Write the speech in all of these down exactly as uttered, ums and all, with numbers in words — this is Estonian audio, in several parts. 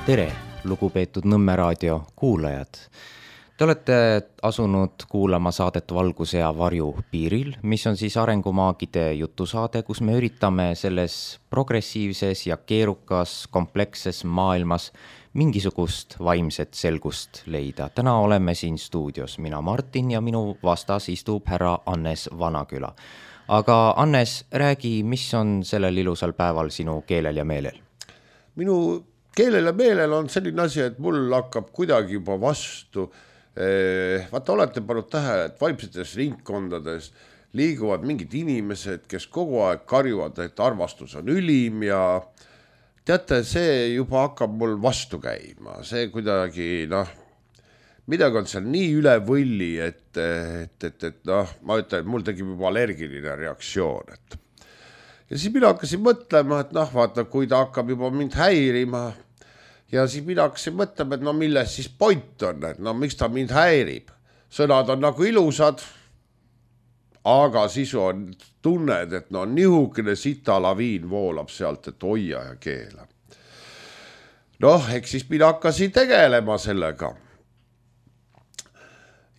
Tere, lugupeetud Nõmme raadio kuulajad. Te olete asunud kuulama saadet Valguse ja varju piiril, mis on siis arengumaagide jutusaade, kus me üritame selles progressiivses ja keerukas kompleksses maailmas mingisugust vaimset selgust leida. Täna oleme siin stuudios, mina Martin ja minu vastas istub härra Annes Vanaküla. Aga Annes, räägi, mis on sellel ilusal päeval sinu keelel ja meelel? Minu keelel ja meelel on selline asi, et mul hakkab kuidagi juba vastu. Vaata, olete pannud tähele, et vaimsetes ringkondades liiguvad mingid inimesed, kes kogu aeg karjuvad, et armastus on ülim ja teate, see juba hakkab mul vastu käima. See kuidagi, noh, midagi on seal nii üle võlli, et, et, et, et noh, ma ütlen, et mul tegib juba allergiline reaktsioon. Et. Ja siis mina hakkasin mõtlema, et noh, vaata, kui ta hakkab juba mind häirima, ja siis mina hakkasin mõtlema, et no milles siis point on, et no miks ta mind häirib. Sõnad on nagu ilusad, aga siis on tunned, et no nihukene sita laviin voolab sealt, et hoia ja keela. Noh, eks siis mina hakkasin tegelema sellega.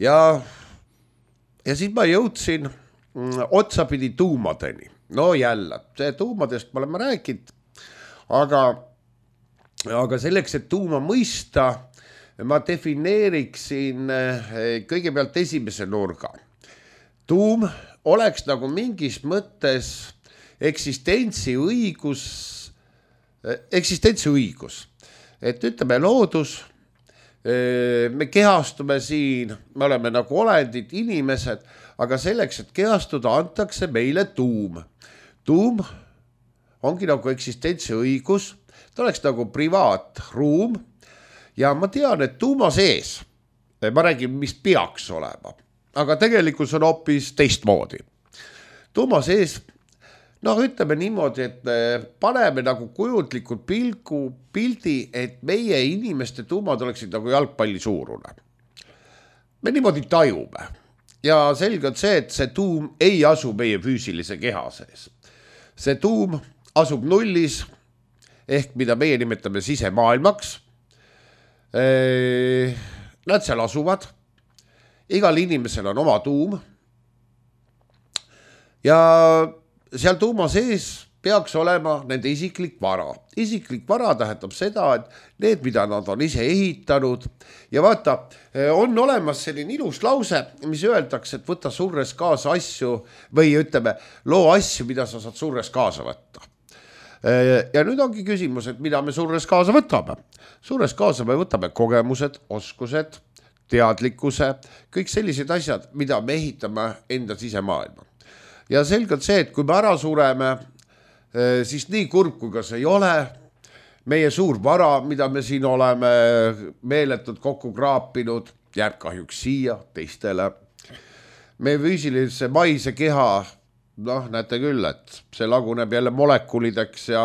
Ja, ja siis ma jõudsin otsapidi tuumadeni. No jälle, see tuumadest me oleme rääkinud, aga Aga selleks, et tuuma mõista, ma defineeriksin kõigepealt esimese nurga. Tuum oleks nagu mingis mõttes eksistentsi õigus, eksistentsi õigus. Et ütleme loodus, me kehastume siin, me oleme nagu olendid inimesed, aga selleks, et kehastuda, antakse meile tuum. Tuum ongi nagu eksistentsi õigus, ta oleks nagu privaatruum ja ma tean, et tuuma sees, ma räägin, mis peaks olema, aga tegelikult on hoopis teistmoodi. Tuuma sees, noh ütleme niimoodi, et paneme nagu kujutlikult pilgu, pildi, et meie inimeste tuumad oleksid nagu jalgpalli suurune. Me niimoodi tajume ja selge on see, et see tuum ei asu meie füüsilise keha sees. See tuum asub nullis, ehk mida meie nimetame sisemaailmaks. Nad seal asuvad. Igal inimesel on oma tuum. Ja seal tuuma sees peaks olema nende isiklik vara. Isiklik vara tähendab seda, et need, mida nad on ise ehitanud. Ja vaata, on olemas selline ilus lause, mis öeldakse, et võta surres kaasa asju või ütleme, loo asju, mida sa saad surres kaasa võtta. Ja nüüd ongi küsimus, et mida me surres kaasa võtame. Surres kaasa me võtame kogemused, oskused, teadlikkuse, kõik sellised asjad, mida me ehitame enda sisemaailma. Ja selgelt see, et kui me ära sureme, siis nii kurb kui ka see ei ole, meie suur vara, mida me siin oleme meeletud kokku kraapinud, jääb kahjuks siia teistele. Meie füüsilise maise keha, noh, näete küll, et see laguneb jälle molekulideks ja,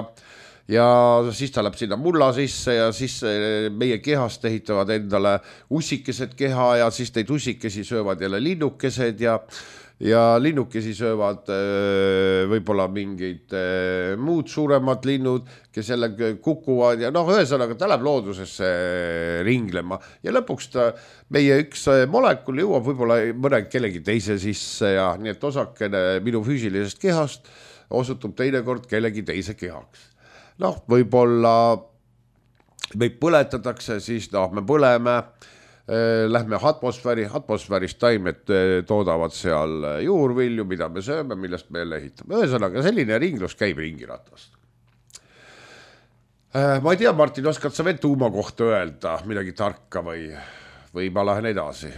ja siis ta läheb sinna mulla sisse ja siis meie kehast ehitavad endale ussikesed keha ja siis neid ussikesi söövad jälle linnukesed ja, ja linnukesi söövad võib-olla mingid muud suuremad linnud, kes jälle kukuvad ja noh, ühesõnaga ta läheb loodusesse ringlema ja lõpuks ta, meie üks molekul jõuab võib-olla mõne kellegi teise sisse ja nii et osakene minu füüsilisest kehast osutub teinekord kellegi teise kehaks. Noh, võib-olla meid põletatakse, siis noh, me põleme, lähme atmosfääri, atmosfäärist taimed toodavad seal juurvilju, mida me sööme, millest me jälle ehitame. Ühesõnaga, selline ringlus käib ringiratast. Ma ei tea, Martin, oskad sa veel tuuma kohta öelda midagi tarka või, või ma lähen edasi?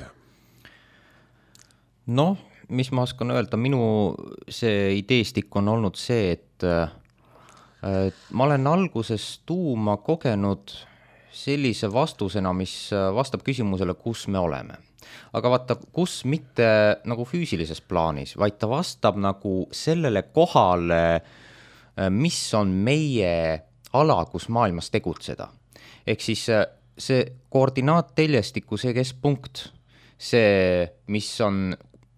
Noh, mis ma oskan öelda, minu see ideestik on olnud see, et, et ma olen alguses tuuma kogenud sellise vastusena, mis vastab küsimusele, kus me oleme. Aga vaata, kus mitte nagu füüsilises plaanis, vaid ta vastab nagu sellele kohale, mis on meie ala, kus maailmas tegutseda. Ehk siis see koordinaatteljestiku, see keskpunkt, see, mis on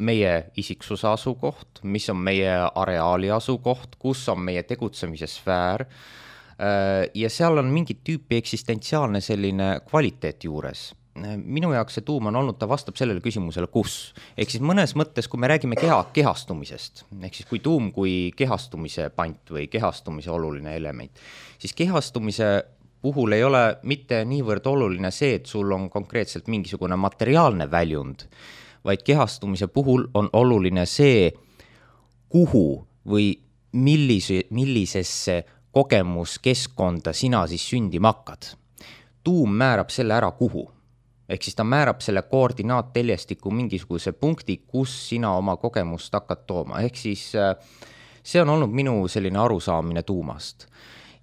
meie isiksuse asukoht, mis on meie areaali asukoht, kus on meie tegutsemise sfäär, ja seal on mingit tüüpi eksistentsiaalne selline kvaliteet juures. Minu jaoks see tuum on olnud, ta vastab sellele küsimusele, kus. Ehk siis mõnes mõttes, kui me räägime keha, kehastumisest, ehk siis kui tuum kui kehastumise pant või kehastumise oluline element, siis kehastumise puhul ei ole mitte niivõrd oluline see, et sul on konkreetselt mingisugune materiaalne väljund, vaid kehastumise puhul on oluline see, kuhu või millise, millisesse kogemuskeskkonda sina siis sündima hakkad. Tuum määrab selle ära kuhu. Ehk siis ta määrab selle koordinaatteljestiku mingisuguse punkti, kus sina oma kogemust hakkad tooma. Ehk siis see on olnud minu selline arusaamine tuumast.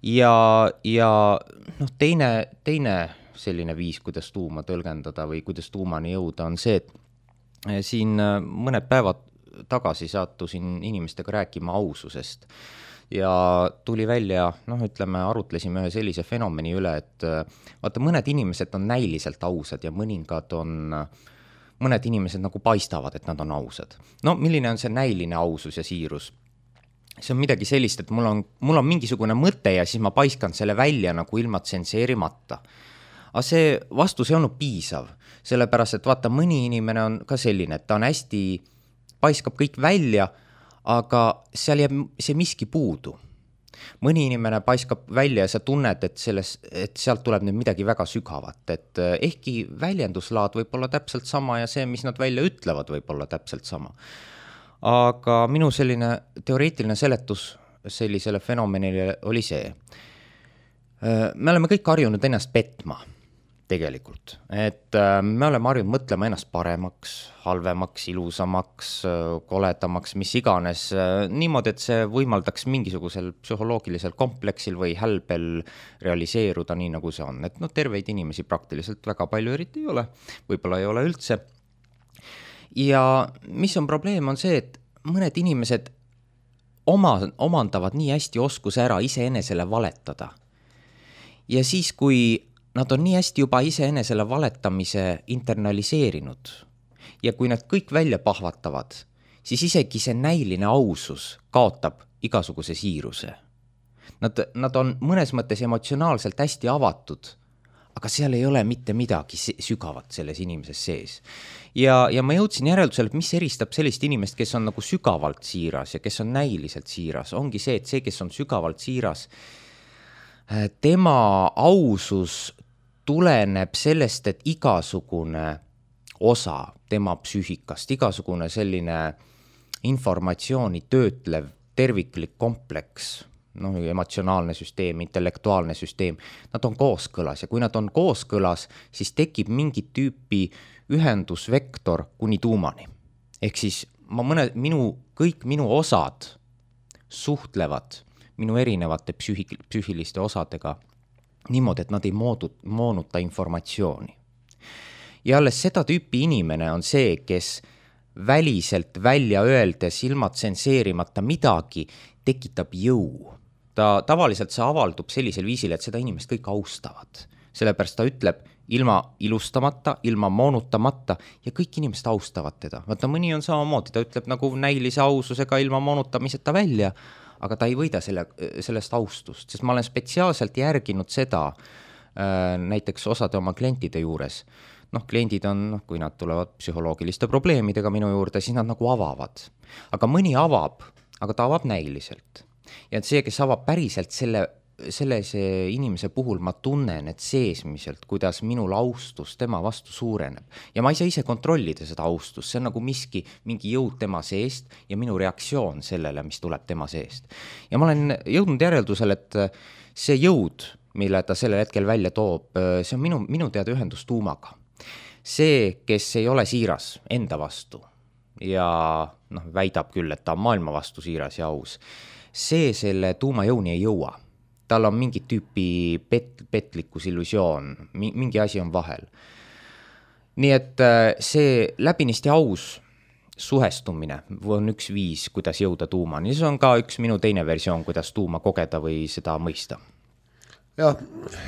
Ja, ja noh, teine, teine selline viis, kuidas tuuma tõlgendada või kuidas tuumani jõuda, on see, et siin mõned päevad tagasi sattusin inimestega rääkima aususest. Ja tuli välja, noh ütleme, arutlesime ühe sellise fenomeni üle, et vaata, mõned inimesed on näiliselt ausad ja mõningad on, mõned inimesed nagu paistavad, et nad on ausad. No milline on see näiline ausus ja siirus? See on midagi sellist, et mul on, mul on mingisugune mõte ja siis ma paiskan selle välja nagu ilma tsenseerimata. Aga see vastus ei olnud piisav, sellepärast, et vaata, mõni inimene on ka selline, et ta on hästi, paiskab kõik välja, aga seal jääb see miski puudu. Mõni inimene paiskab välja ja sa tunned, et, selles, et sealt tuleb nüüd midagi väga sügavat, et ehkki väljenduslaad võib olla täpselt sama ja see, mis nad välja ütlevad, võib olla täpselt sama. Aga minu selline teoreetiline seletus sellisele fenomenile oli see. Me oleme kõik harjunud ennast petma tegelikult, et me oleme harjunud mõtlema ennast paremaks, halvemaks, ilusamaks, koledamaks, mis iganes, niimoodi, et see võimaldaks mingisugusel psühholoogilisel kompleksil või hälbel realiseeruda nii, nagu see on. Et no terveid inimesi praktiliselt väga palju eriti ei ole, võib-olla ei ole üldse. Ja mis on probleem, on see, et mõned inimesed oma, omandavad nii hästi oskuse ära iseenesele valetada. Ja siis, kui nad on nii hästi juba iseenesele valetamise internaliseerinud ja kui nad kõik välja pahvatavad, siis isegi see näiline ausus kaotab igasuguse siiruse. Nad, nad on mõnes mõttes emotsionaalselt hästi avatud, aga seal ei ole mitte midagi sügavat selles inimeses sees. Ja, ja ma jõudsin järeldusele, et mis eristab sellist inimest, kes on nagu sügavalt siiras ja kes on näiliselt siiras, ongi see, et see, kes on sügavalt siiras, tema ausus tuleneb sellest, et igasugune osa tema psüühikast, igasugune selline informatsiooni töötlev terviklik kompleks, no, emotsionaalne süsteem, intellektuaalne süsteem, nad on kooskõlas ja kui nad on kooskõlas, siis tekib mingit tüüpi ühendusvektor kuni tuumani. Ehk siis ma mõne, minu, kõik minu osad suhtlevad minu erinevate psüühik, psüühiliste osadega niimoodi, et nad ei moodu, moonuta informatsiooni. Ja alles seda tüüpi inimene on see, kes väliselt välja öeldes ilma tsenseerimata midagi tekitab jõu. Ta tavaliselt see avaldub sellisel viisil, et seda inimest kõik austavad. Sellepärast ta ütleb ilma ilustamata, ilma moonutamata ja kõik inimesed austavad teda. Vaata, mõni on samamoodi, ta ütleb nagu näilise aususega ilma moonutamiseta välja, aga ta ei võida selle, sellest austust, sest ma olen spetsiaalselt järginud seda äh, näiteks osade oma klientide juures. Noh, kliendid on, kui nad tulevad psühholoogiliste probleemidega minu juurde, siis nad nagu avavad. Aga mõni avab, aga ta avab näiliselt. Ja see, kes avab päriselt selle, selle see inimese puhul, ma tunnen, et seesmiselt, kuidas minul austus tema vastu suureneb. Ja ma ei saa ise kontrollida seda austust, see on nagu miski, mingi jõud tema seest ja minu reaktsioon sellele, mis tuleb tema seest. Ja ma olen jõudnud järeldusel, et see jõud, mille ta sellel hetkel välja toob, see on minu, minu teada ühendus tuumaga. See, kes ei ole siiras enda vastu ja noh, väidab küll, et ta on maailma vastu siiras ja aus, see selle tuumajõuni ei jõua. Tal on mingit tüüpi pet, petlikkus, illusioon, mingi asi on vahel. Nii et see läbinisti aus suhestumine on üks viis, kuidas jõuda tuumani. See on ka üks minu teine versioon, kuidas tuuma kogeda või seda mõista. Jah,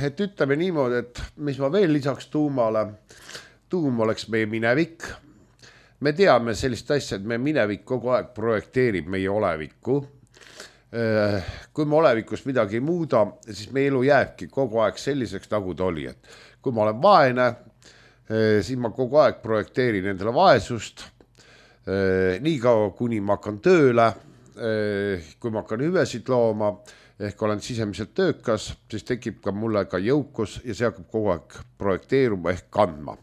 et ütleme niimoodi, et mis ma veel lisaks tuumale, tuum oleks meie minevik. Me teame sellist asja, et meie minevik kogu aeg projekteerib meie olevikku. kui me olevikus midagi ei muuda, siis meie elu jääbki kogu aeg selliseks, nagu ta oli, et kui ma olen vaene, siis ma kogu aeg projekteerin endale vaesust, nii kaua, kuni ma hakkan tööle, kui ma hakkan hüvesid looma, ehk olen sisemiselt töökas, siis tekib ka mulle ka jõukus ja see hakkab kogu aeg projekteeruma ehk kandma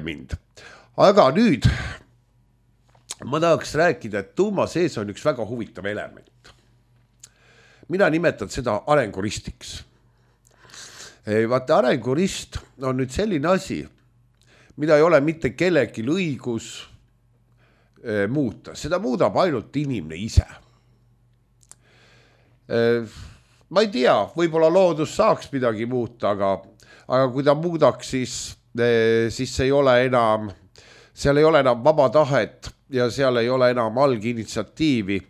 mind. Aga nüüd ma tahaks rääkida, et tuuma sees on üks väga huvitav element. Mina nimetan seda arenguristiks. Vaata, arengurist on nüüd selline asi, mida ei ole mitte kellelgi õigus muuta. Seda muudab ainult inimene ise. Ma ei tea, võib-olla loodus saaks midagi muuta, aga, aga kui ta muudaks, siis, siis ei ole enam, seal ei ole enam vaba tahet ja seal ei ole enam alginitsiatiivi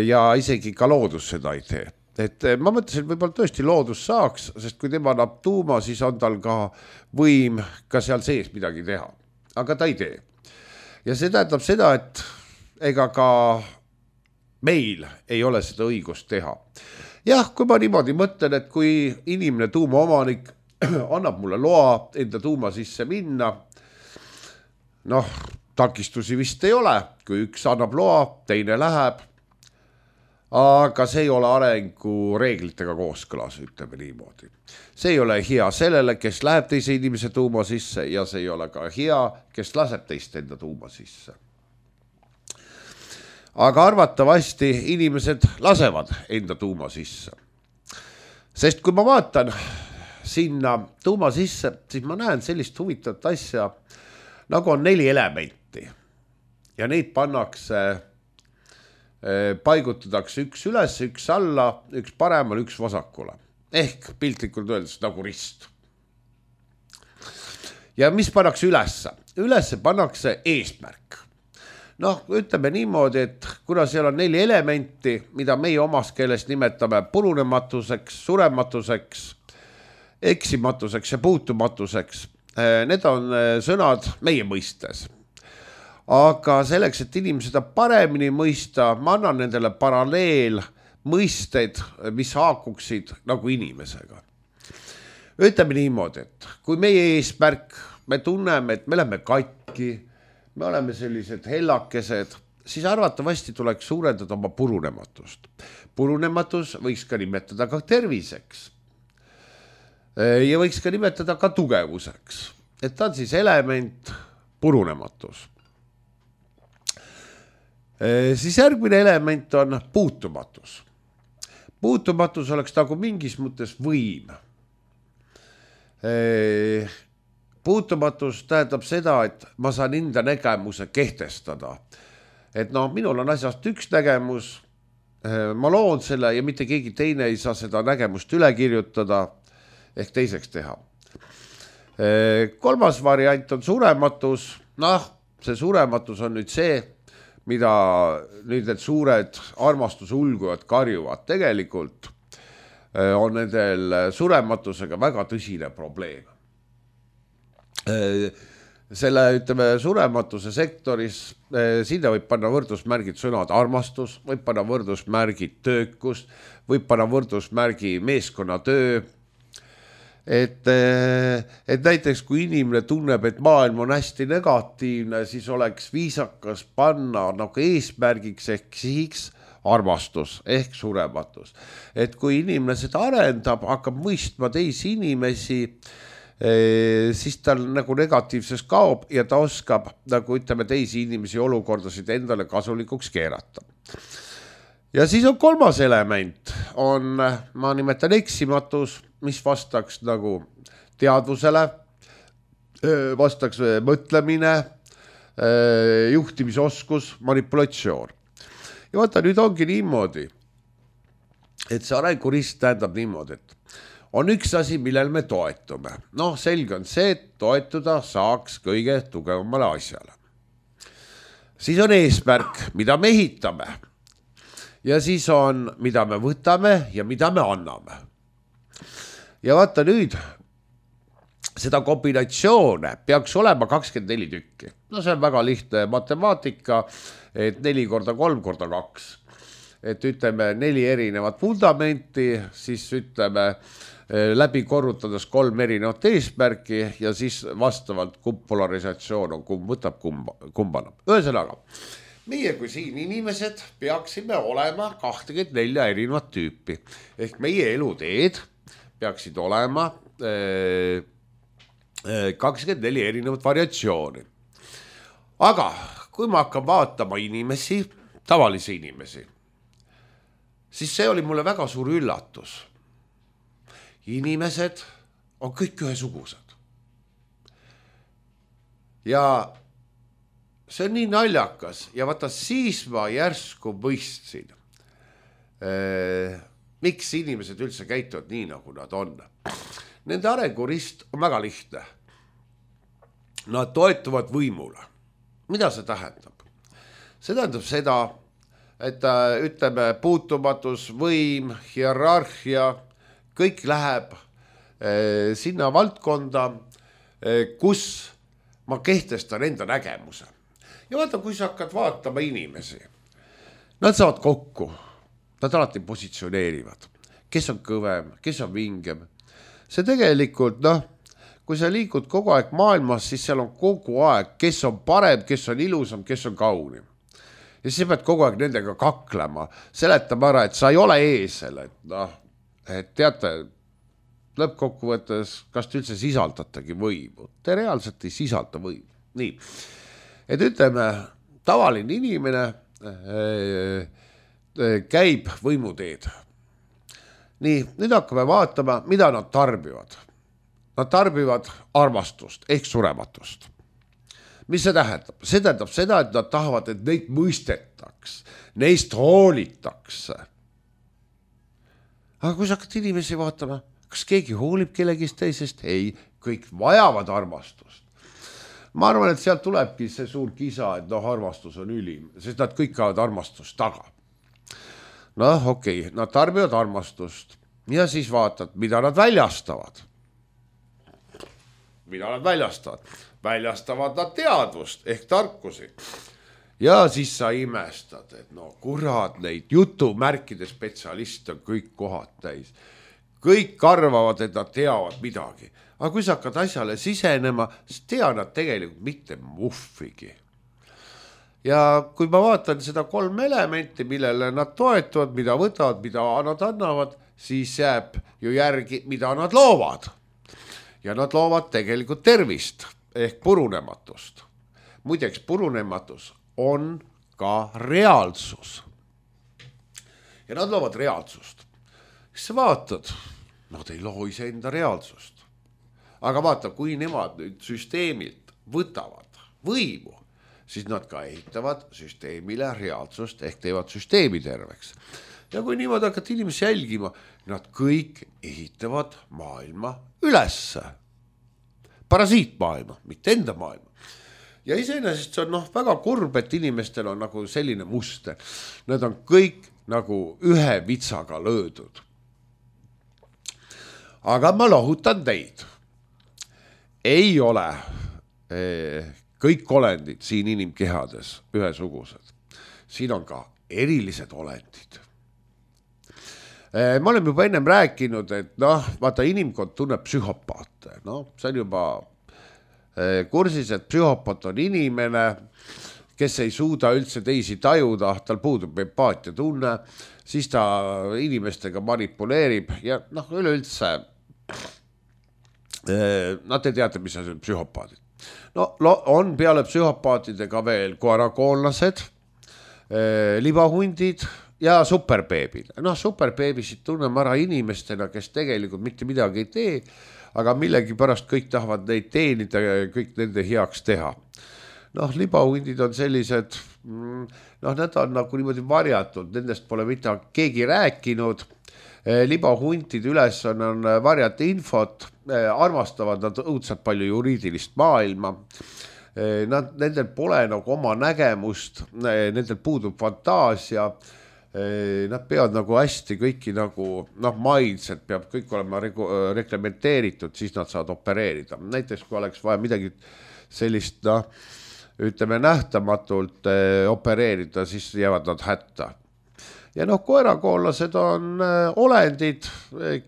ja isegi ka loodus seda ei tee. Et ma mõtlesin, võib-olla tõesti loodus saaks, sest kui tema annab tuuma, siis on tal ka võim ka seal sees midagi teha. Aga ta ei tee. Ja see tähendab seda, et ega ka meil ei ole seda õigust teha. Jah, kui ma niimoodi mõtlen, et kui inimene tuumaomanik annab mulle loa enda tuuma sisse minna, noh, takistusi vist ei ole, kui üks annab loa, teine läheb, aga see ei ole arengu reeglitega kooskõlas, ütleme niimoodi. See ei ole hea sellele, kes läheb teise inimese tuuma sisse ja see ei ole ka hea, kes laseb teist enda tuuma sisse. Aga arvatavasti inimesed lasevad enda tuuma sisse. Sest kui ma vaatan sinna tuuma sisse, siis ma näen sellist huvitavat asja, nagu on neli elementi ja neid pannakse paigutatakse üks üles, üks alla, üks paremal, üks vasakule. Ehk piltlikult öeldes nagu rist. Ja mis pannakse ülesse? Ülesse pannakse eesmärk. Noh, ütleme niimoodi, et kuna seal on neli elementi, mida meie omas keeles nimetame purunematuseks, surematuseks, eksimatuseks ja puutumatuseks, need on sõnad meie mõistes. Aga selleks, et inimesed paremini mõista, ma annan nendele paralleel mõisted, mis haakuksid nagu inimesega. Ütleme niimoodi, et kui meie eesmärk, me tunneme, et me oleme katki, me oleme sellised hellakesed, siis arvatavasti tuleks suurendada oma purunematust. Purunematus võiks ka nimetada ka terviseks. Ja võiks ka nimetada ka tugevuseks. Et ta on siis element purunematus. Siis järgmine element on puutumatus. Puutumatus oleks nagu mingis mõttes võim. Puutumatus tähendab seda, et ma saan enda nägemuse kehtestada. Et no, minul on asjast üks nägemus, ma loon selle ja mitte keegi teine ei saa seda nägemust üle kirjutada ehk teiseks teha. Kolmas variant on surematus. Noh, see surematus on nüüd see, mida nüüd need suured armastusulgujad karjuvad. Tegelikult on nendel surematusega väga tõsine probleem. Selle, ütleme, surematuse sektoris, sinna võib panna võrdusmärgid sõnad armastus, võib panna võrdusmärgid töökust, võib panna võrdusmärgi meeskonnatöö. Et, et näiteks kui inimene tunneb, et maailm on hästi negatiivne, siis oleks viisakas panna nagu eesmärgiks ehk sihiks armastus ehk surematus. Et kui inimene seda arendab, hakkab mõistma teisi inimesi, siis tal nagu negatiivses kaob ja ta oskab nagu ütleme teisi inimesi olukordasid endale kasulikuks keerata. Ja siis on kolmas element, on, ma nimetan eksimatus, mis vastaks nagu teadvusele, vastaks mõtlemine, juhtimisoskus, manipulatsioon. Ja vaata, nüüd ongi niimoodi, et see arengurist tähendab niimoodi, et on üks asi, millel me toetume. Noh, selge on see, et toetuda saaks kõige tugevamale asjale. Siis on eesmärk, mida me ehitame. Ja siis on, mida me võtame ja mida me anname. Ja vaata nüüd, seda kombinatsioone peaks olema kakskümmend neli tükki. No see on väga lihtne matemaatika, et neli korda kolm korda kaks. et ütleme neli erinevat vundamenti, siis ütleme läbi korrutades kolm erinevat eesmärki ja siis vastavalt kumb polarisatsioon on, kumb võtab, kumba, kumbana. Ühesõnaga, meie kui siin inimesed peaksime olema kakskümmend neli erinevat tüüpi. Ehk meie eluteed peaksid olema kakskümmend neli erinevat variatsiooni. Aga kui ma hakkan vaatama inimesi, tavalisi inimesi, siis see oli mulle väga suur üllatus. Inimesed on kõik ühesugused. Ja see on nii naljakas ja vaata siis ma järsku mõistsin, eh, miks inimesed üldse käituvad nii, nagu nad on. Nende arengurist on väga lihtne. Nad toetuvad võimule. Mida see tähendab? See tähendab seda, et ütleme puutumatus, võim, hierarhia, kõik läheb eh, sinna valdkonda, eh, kus ma kehtestan enda nägemuse. Ja vaata, kui sa hakkad vaatama inimesi, nad saavad kokku, nad alati positsioneerivad, kes on kõvem, kes on vingem. See tegelikult, noh, kui sa liigud kogu aeg maailmas, siis seal on kogu aeg, kes on parem, kes on ilusam, kes on kaunim. Ja siis sa pead kogu aeg nendega kaklema, seletama ära, et sa ei ole eesel, et noh, et teate, lõppkokkuvõttes, kas te üldse sisaldatagi võimu? Te reaalselt ei sisalda võimu. Nii, et ütleme, tavaline inimene käib võimuteed. Nii, nüüd hakkame vaatama, mida nad tarbivad. Nad tarbivad armastust ehk surematust. Mis see tähendab? See tähendab seda, et nad tahavad, et neid mõistetaks, neist hoolitakse. Aga kui sa hakkad inimesi vaatama, kas keegi hoolib kellegist teisest? Ei, kõik vajavad armastust. Ma arvan, et sealt tulebki see suur kisa, et noh, armastus on ülim, sest nad kõik kaavad armastust taga. Noh, okei, okay, nad tarbivad armastust ja siis vaatad, mida nad väljastavad. Mida nad väljastavad? Väljastavad nad teadvust ehk tarkusi. Ja siis sa imestad, et no kurat, neid jutumärkide spetsialiste on kõik kohad täis. Kõik arvavad, et nad teavad midagi. Aga kui sa hakkad asjale sisenema, siis tea nad tegelikult mitte muffigi. Ja kui ma vaatan seda kolm elementi, millele nad toetuvad, mida võtavad, mida nad annavad, siis jääb ju järgi, mida nad loovad. Ja nad loovad tegelikult tervist ehk purunematust. Muideks purunematus on ka reaalsus. Ja nad loovad reaalsust. Siis sa vaatad, nad ei loo ise enda reaalsust. Aga vaata, kui nemad nüüd süsteemilt võtavad võimu, siis nad ka ehitavad süsteemile reaalsust ehk teevad süsteemi terveks. Ja kui niimoodi hakkad inimesi jälgima, nad kõik ehitavad maailma ülesse. Parasiitmaailma, mitte enda maailma. Ja iseenesest see on noh, väga kurb, et inimestel on nagu selline muster. Nad on kõik nagu ühe vitsaga löödud. Aga ma lohutan teid. Ei ole eh, kõik olendid siin inimkehades ühesugused. Siin on ka erilised olendid. Ma olen juba ennem rääkinud, et noh, vaata inimkond tunneb psühhopaate. No, see on juba kursis, et psühhopaat on inimene, kes ei suuda üldse teisi tajuda, tal puudub empaatia tunne, siis ta inimestega manipuleerib ja noh, üleüldse nad ei teata, mis on psühhopaadid. No, on peale psühhopaatidega veel koerakoollased, libahundid, ja superbeebid. Noh, superbeebisid tunneme ära inimestena, kes tegelikult mitte midagi ei tee, aga millegi pärast kõik tahavad neid teenida ja kõik nende heaks teha. Noh, libahundid on sellised, noh, need on nagu niimoodi varjatud, nendest pole mitte keegi rääkinud. Libahundid üles on, on varjata infot, armastavad nad õudselt palju juriidilist maailma. Nad, nendel pole nagu oma nägemust, nendel puudub fantaasia. Nad peavad nagu hästi kõiki nagu, noh, mindset peab kõik olema reglementeeritud, siis nad saavad opereerida. Näiteks kui oleks vaja midagi sellist, noh, ütleme nähtamatult opereerida, siis jäävad nad hätta. ja noh, koerakoollased on olendid,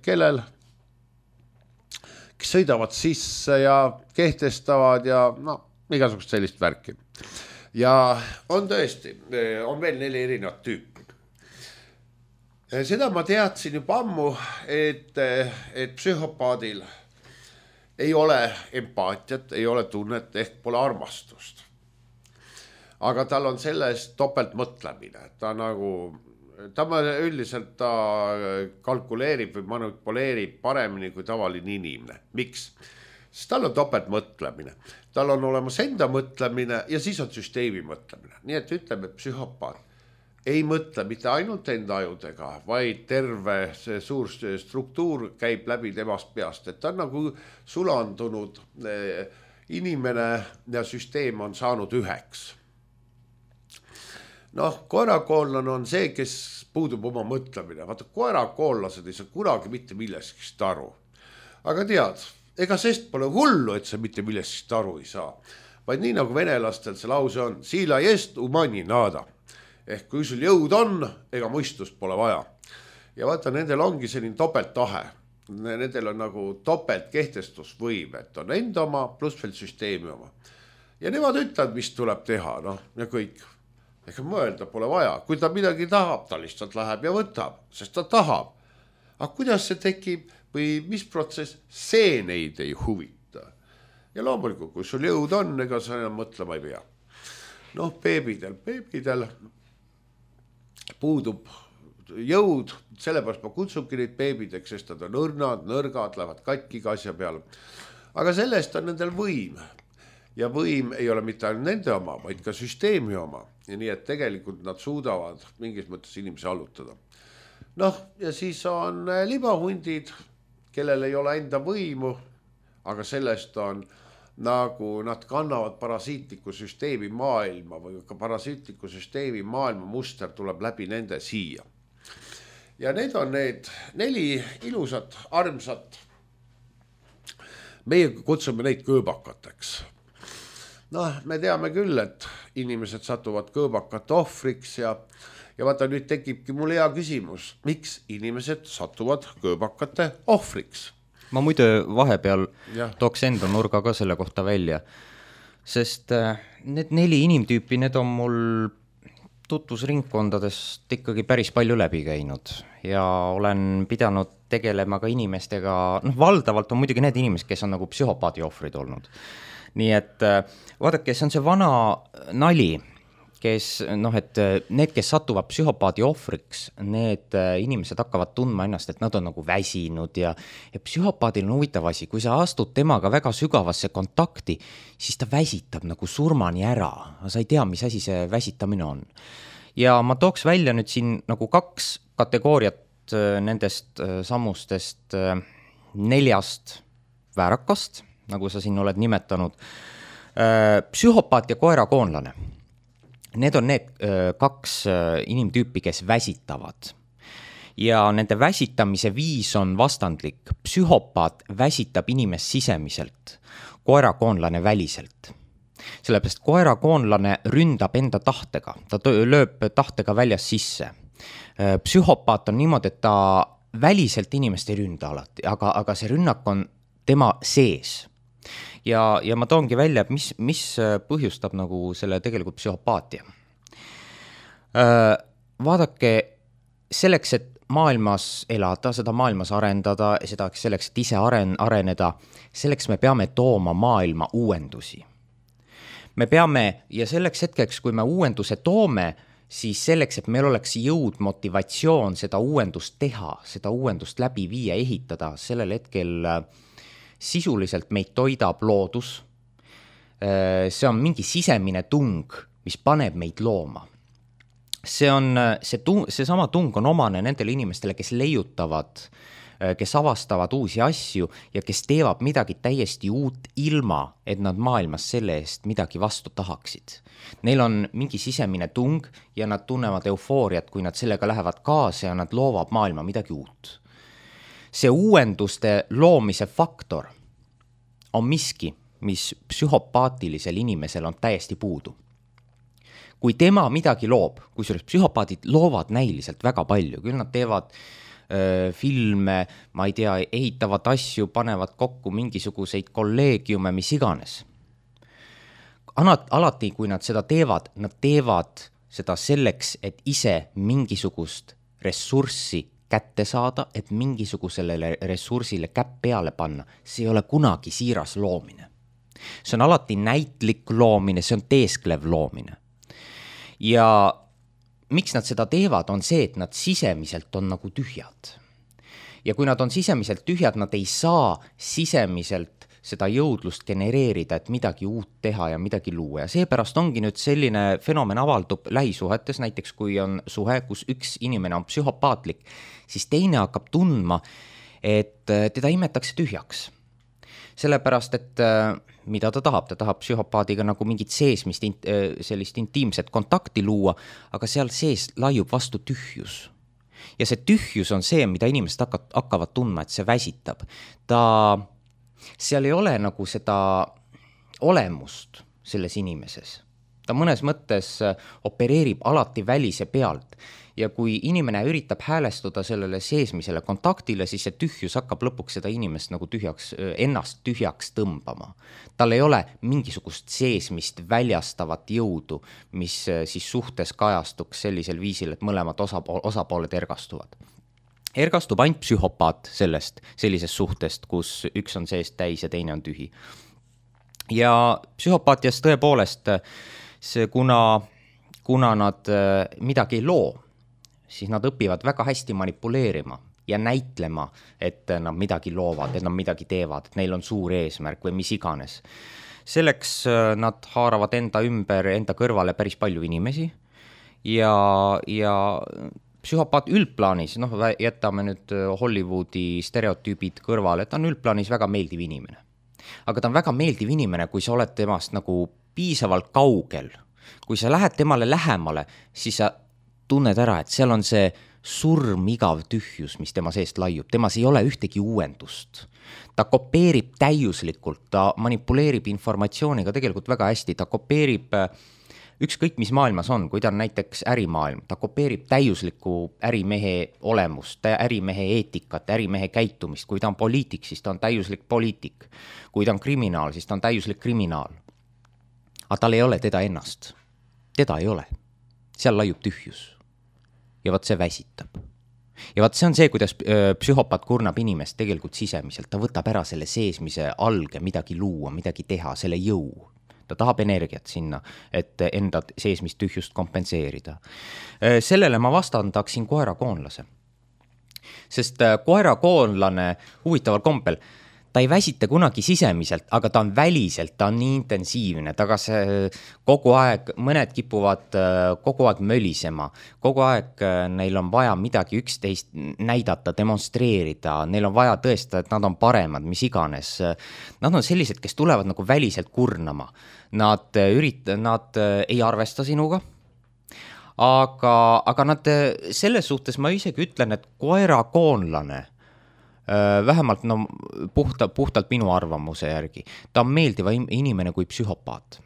kellel, kes sõidavad sisse ja kehtestavad ja no, igasugust sellist värki. Ja on tõesti, on veel neli erinevat tüüpi. Seda ma teadsin juba ammu, et, et psühhopaadil ei ole empaatiat, ei ole tunnet, ehk pole armastust. Aga tal on sellest topelt mõtlemine, ta nagu, ta üldiselt ta kalkuleerib või manipuleerib paremini kui tavaline inimene. Miks? Sest tal on topelt mõtlemine, tal on olemas enda mõtlemine ja siis on süsteemi mõtlemine. Nii et ütleme, et psühhopaat ei mõtle mitte ainult enda ajudega, vaid terve see suur struktuur käib läbi temast peast, et ta on nagu sulandunud inimene ja süsteem on saanud üheks. Noh, koerakoolane on see, kes puudub oma mõtlemine. Vaata, koerakoollased ei saa kunagi mitte milleskist aru. Aga tead, ega sest pole hullu, et sa mitte milleskist aru ei saa. Vaid nii nagu venelastel see lause on, sila jest umani nada. Ehk kui sul jõud on, ega mõistust pole vaja. Ja vaata, nendel ongi selline topelt tahe. Nendel on nagu topelt kehtestusvõim, et on enda oma pluss veel süsteemi oma. Ja nemad ütlevad, mis tuleb teha, noh, ja kõik. Ega mõelda pole vaja. Kui ta midagi tahab, ta lihtsalt läheb ja võtab, sest ta tahab. Aga kuidas see tekib või mis protsess, see neid ei huvita. Ja loomulikult, kui sul jõud on, ega sa enam mõtlema ei pea. Noh, beebidel, beebidel puudub jõud, sellepärast ma kutsubki neid beebideks, sest nad on õrnad, nõrgad, lähevad katki asja peale. Aga sellest on nendel võim. Ja võim ei ole mitte ainult nende oma, vaid ka süsteemi oma. Ja nii, et tegelikult nad suudavad mingis mõttes inimesi allutada. Noh, ja siis on libahundid, kellel ei ole enda võimu, aga sellest on nagu nad kannavad parasiitliku süsteemi maailma või ka parasiitliku süsteemi maailma muster tuleb läbi nende siia. Ja need on need neli ilusat, armsat. Meie kutsume neid kõõbakateks. Noh, me teame küll, et inimesed satuvad kõõbakate ohvriks ja, ja vaata nüüd tekibki mul hea küsimus, miks inimesed satuvad kõõbakate ohvriks? Ma muidu vahepeal ja. Tooks enda nurga ka selle kohta välja, sest need neli inimtüüpi, need on mul tutvusringkondadest ikkagi päris palju läbi käinud ja olen pidanud tegelema ka inimestega, noh valdavalt on muidugi need inimesed, kes on nagu psühhopaadi ohvrid olnud. Nii et vaadake, see on see vana nali, kes, noh, et need, kes satuvad psühhopaadi ohvriks, need inimesed hakkavad tundma ennast, et nad on nagu väsinud ja, ja psühhopaadil on huvitav asi, kui sa astud temaga väga sügavasse kontakti, siis ta väsitab nagu surmani ära, sa ei tea, mis asi see väsitamine on. Ja ma tooks välja nüüd siin nagu kaks kategooriat nendest sammustest neljast väärakast, nagu sa siin oled nimetanud, psühhopaat ja koerakoonlane. Need on need kaks inimtüüpi, kes väsitavad. Ja nende väsitamise viis on vastandlik. Psühhopaat väsitab inimest sisemiselt, koerakoonlane väliselt. Sellepärast koerakoonlane ründab enda tahtega, ta lööb tahtega väljas sisse. Psühhopaat on niimoodi, et ta väliselt inimest ei ründa alati, aga, aga see rünnak on tema sees. Ja, ja ma toongi välja, et mis, mis põhjustab nagu selle tegelikult psühhopaatia. Vaadake, selleks, et maailmas elada, seda maailmas arendada, seda selleks, et ise aren, areneda, selleks me peame tooma maailma uuendusi. Me peame, ja selleks hetkeks, kui me uuenduse toome, siis selleks, et meil oleks jõud, motivatsioon seda uuendust teha, seda uuendust läbi viia, ehitada, sellel hetkel sisuliselt meid toidab loodus. See on mingi sisemine tung, mis paneb meid looma. See on, see, tung, see sama tung on omane nendele inimestele, kes leiutavad, kes avastavad uusi asju ja kes teevad midagi täiesti uut ilma, et nad maailmas selle eest midagi vastu tahaksid. Neil on mingi sisemine tung ja nad tunnevad eufooriat, kui nad sellega lähevad kaasa ja nad loovad maailma midagi uut. See uuenduste loomise faktor on miski, mis psühhopaatilisel inimesel on täiesti puudu. kui tema midagi loob, kusjuures psühhopaadid loovad näiliselt väga palju, küll nad teevad öö, filme, ma ei tea, ehitavad asju, panevad kokku mingisuguseid kolleegiume, mis iganes. Anat, alati, kui nad seda teevad, nad teevad seda selleks, et ise mingisugust ressurssi kätte saada, et mingisugusele ressursile käpp peale panna. See ei ole kunagi siiras loomine. See on alati näitlik loomine, see on teesklev loomine. Ja miks nad seda teevad, on see, et nad sisemiselt on nagu tühjad. Ja kui nad on sisemiselt tühjad, nad ei saa sisemiselt seda jõudlust genereerida, et midagi uut teha ja midagi luua. Ja seepärast ongi nüüd selline fenomen avaldub lähisuhetes, näiteks kui on suhe, kus üks inimene on psühhopaatlik, siis teine hakkab tundma, et teda imetakse tühjaks. Sellepärast, et mida ta tahab, ta tahab psühhopaadiga nagu mingit seesmist, sellist intiimset kontakti luua, aga seal sees laiub vastu tühjus. Ja see tühjus on see, mida inimesed hakkavad tundma, et see väsitab. Ta, seal ei ole nagu seda olemust selles inimeses. Ta mõnes mõttes opereerib alati välise pealt. Ja kui inimene üritab häälestuda sellele seesmisele kontaktile, siis see tühjus hakkab lõpuks seda inimest nagu tühjaks, ennast tühjaks tõmbama. Tal ei ole mingisugust seesmist väljastavat jõudu, mis siis suhtes kajastuks sellisel viisil, et mõlemad osapool, osapooled ergastuvad. Ergastub ainult psühhopaat sellest, sellisest suhtest, kus üks on seest täis ja teine on tühi. Ja psühhopaatias tõepoolest, see, kuna, kuna nad midagi ei loo, siis nad õpivad väga hästi manipuleerima ja näitlema, et nad midagi loovad, et nad midagi teevad, et neil on suur eesmärk või mis iganes. Selleks nad haaravad enda ümber, enda kõrvale päris palju inimesi ja, ja psühhopaat üldplaanis, noh, jätame nüüd Hollywoodi stereotüübid kõrvale, et ta on üldplaanis väga meeldiv inimene. Aga ta on väga meeldiv inimene, kui sa oled temast nagu piisavalt kaugel. Kui sa lähed temale lähemale, siis sa tunned ära, et seal on see surmigav tühjus, mis tema seest laiub. Temas ei ole ühtegi uuendust. Ta kopeerib täiuslikult, ta manipuleerib informatsiooniga tegelikult väga hästi, ta kopeerib ükskõik mis maailmas on, kui ta on näiteks ärimaailm, ta kopeerib täiusliku ärimehe olemust, ärimehe eetikat, ärimehe käitumist. Kui ta on poliitik, siis ta on täiuslik poliitik. Kui ta on kriminaal, siis ta on täiuslik kriminaal. Aga tal ei ole teda ennast. Teda ei ole. Seal laiub tühjus. Ja vaat see väsitab. Ja vaat see on see, kuidas psühhopaat kurnab inimest tegelikult sisemiselt. Ta võtab ära selle seesmise alge, midagi luua, midagi teha, selle jõu. Ta tahab energiat sinna, et enda seesmist tühjust kompenseerida. Sellele ma vastandaksin koerakoonlase. Sest koerakoonlane huvitaval kompel, ta ei väsita kunagi sisemiselt, aga ta on väliselt, ta on nii intensiivne, ta kas kogu aeg, mõned kipuvad kogu aeg mölisema, kogu aeg neil on vaja midagi üksteist näidata, demonstreerida, neil on vaja tõestada, et nad on paremad, mis iganes. Nad on sellised, kes tulevad nagu väliselt kurnama. Nad, ürit, nad ei arvesta sinuga, aga, aga nad selles suhtes ma isegi ütlen, et koerakoonlane, vähemalt no, puhta, puhtalt minu arvamuse järgi. Ta on meeldiva inimene kui psühhopaat.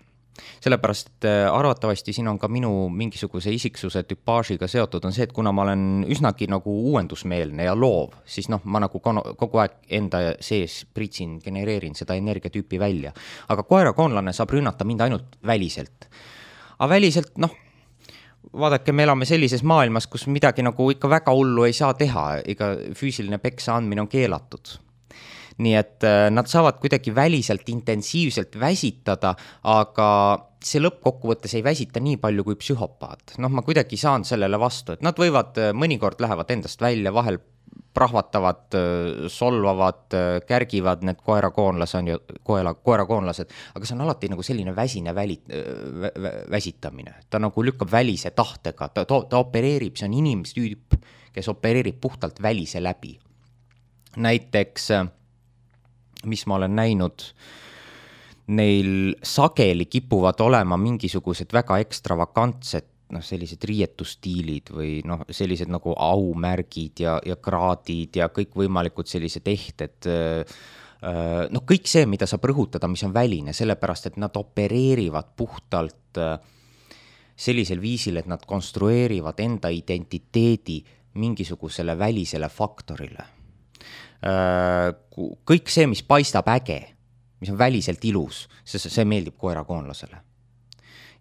Sellepärast, et arvatavasti siin on ka minu mingisuguse isiksuse tüpaažiga seotud on see, et kuna ma olen üsnagi nagu uuendusmeelne ja loov, siis noh, ma nagu kogu aeg enda sees pritsin, genereerin seda energiatüüpi välja. Aga koerakoonlane saab rünnata mind ainult väliselt. Aga väliselt, noh, vaadake, me elame sellises maailmas, kus midagi nagu ikka väga hullu ei saa teha, ega füüsiline peksa andmine on keelatud. Nii et nad saavad kuidagi väliselt intensiivselt väsitada, aga see lõppkokkuvõttes ei väsita nii palju kui psühhopaat. Noh, ma kuidagi saan sellele vastu, et nad võivad, mõnikord lähevad endast välja, vahel prahvatavad, solvavad, kärgivad need koerakoonlased, on ju, koera, koerakoonlased, aga see on alati nagu selline väsine väli, vä, vä, väsitamine. Ta nagu lükkab välise tahtega, ta, ta opereerib, see on inimestüüp, kes opereerib puhtalt välise läbi. Näiteks, mis ma olen näinud, neil sageli kipuvad olema mingisugused väga ekstravakantsed, noh, sellised riietustiilid või noh, sellised nagu aumärgid ja, ja kraadid ja kõik võimalikud sellised ehted, noh, kõik see, mida saab rõhutada, mis on väline, sellepärast, et nad opereerivad puhtalt sellisel viisil, et nad konstrueerivad enda identiteedi mingisugusele välisele faktorile. Kõik see, mis paistab äge, mis on väliselt ilus, see, see meeldib koerakoonlasele.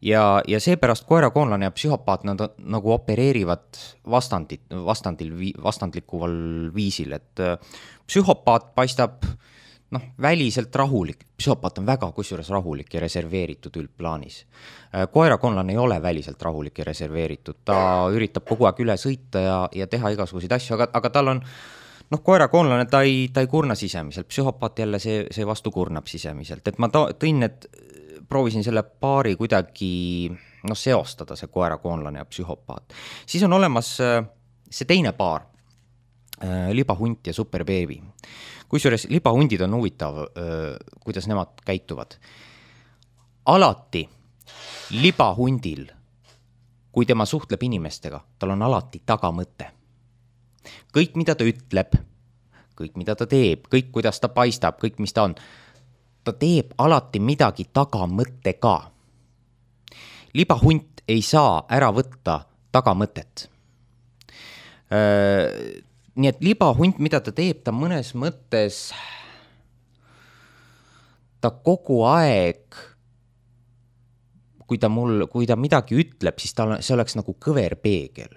Ja, ja seepärast koerakoonlane ja psühhopaat nad nagu opereerivad vastandit, vastandil, vastandlikuval viisil, et psühhopaat paistab noh, väliselt rahulik, psühhopaat on väga kusjuures rahulik ja reserveeritud üldplaanis. Koerakoonlane ei ole väliselt rahulik ja reserveeritud, ta üritab kogu aeg üle sõita ja, ja teha igasuguseid asju, aga, aga tal on noh, koerakoonlane, ta ei, ta ei kurna sisemiselt, psühhopaat jälle see, see vastu kurnab sisemiselt, et ma tõin need proovisin selle paari kuidagi no, seostada, see koerakoonlane ja psühhopaat. Siis on olemas see teine paar, libahunt ja superbeebi. Kusjuures libahundid on huvitav, kuidas nemad käituvad. Alati libahundil, kui tema suhtleb inimestega, tal on alati tagamõte. Kõik, mida ta ütleb, kõik, mida ta teeb, kõik, kuidas ta paistab, kõik, mis ta on, ta teeb alati midagi tagamõttega. Libahunt ei saa ära võtta tagamõtet. Nii et libahunt, mida ta teeb, ta mõnes mõttes, ta kogu aeg, kui ta, mul, kui ta midagi ütleb, siis ta, see oleks nagu kõver peegel.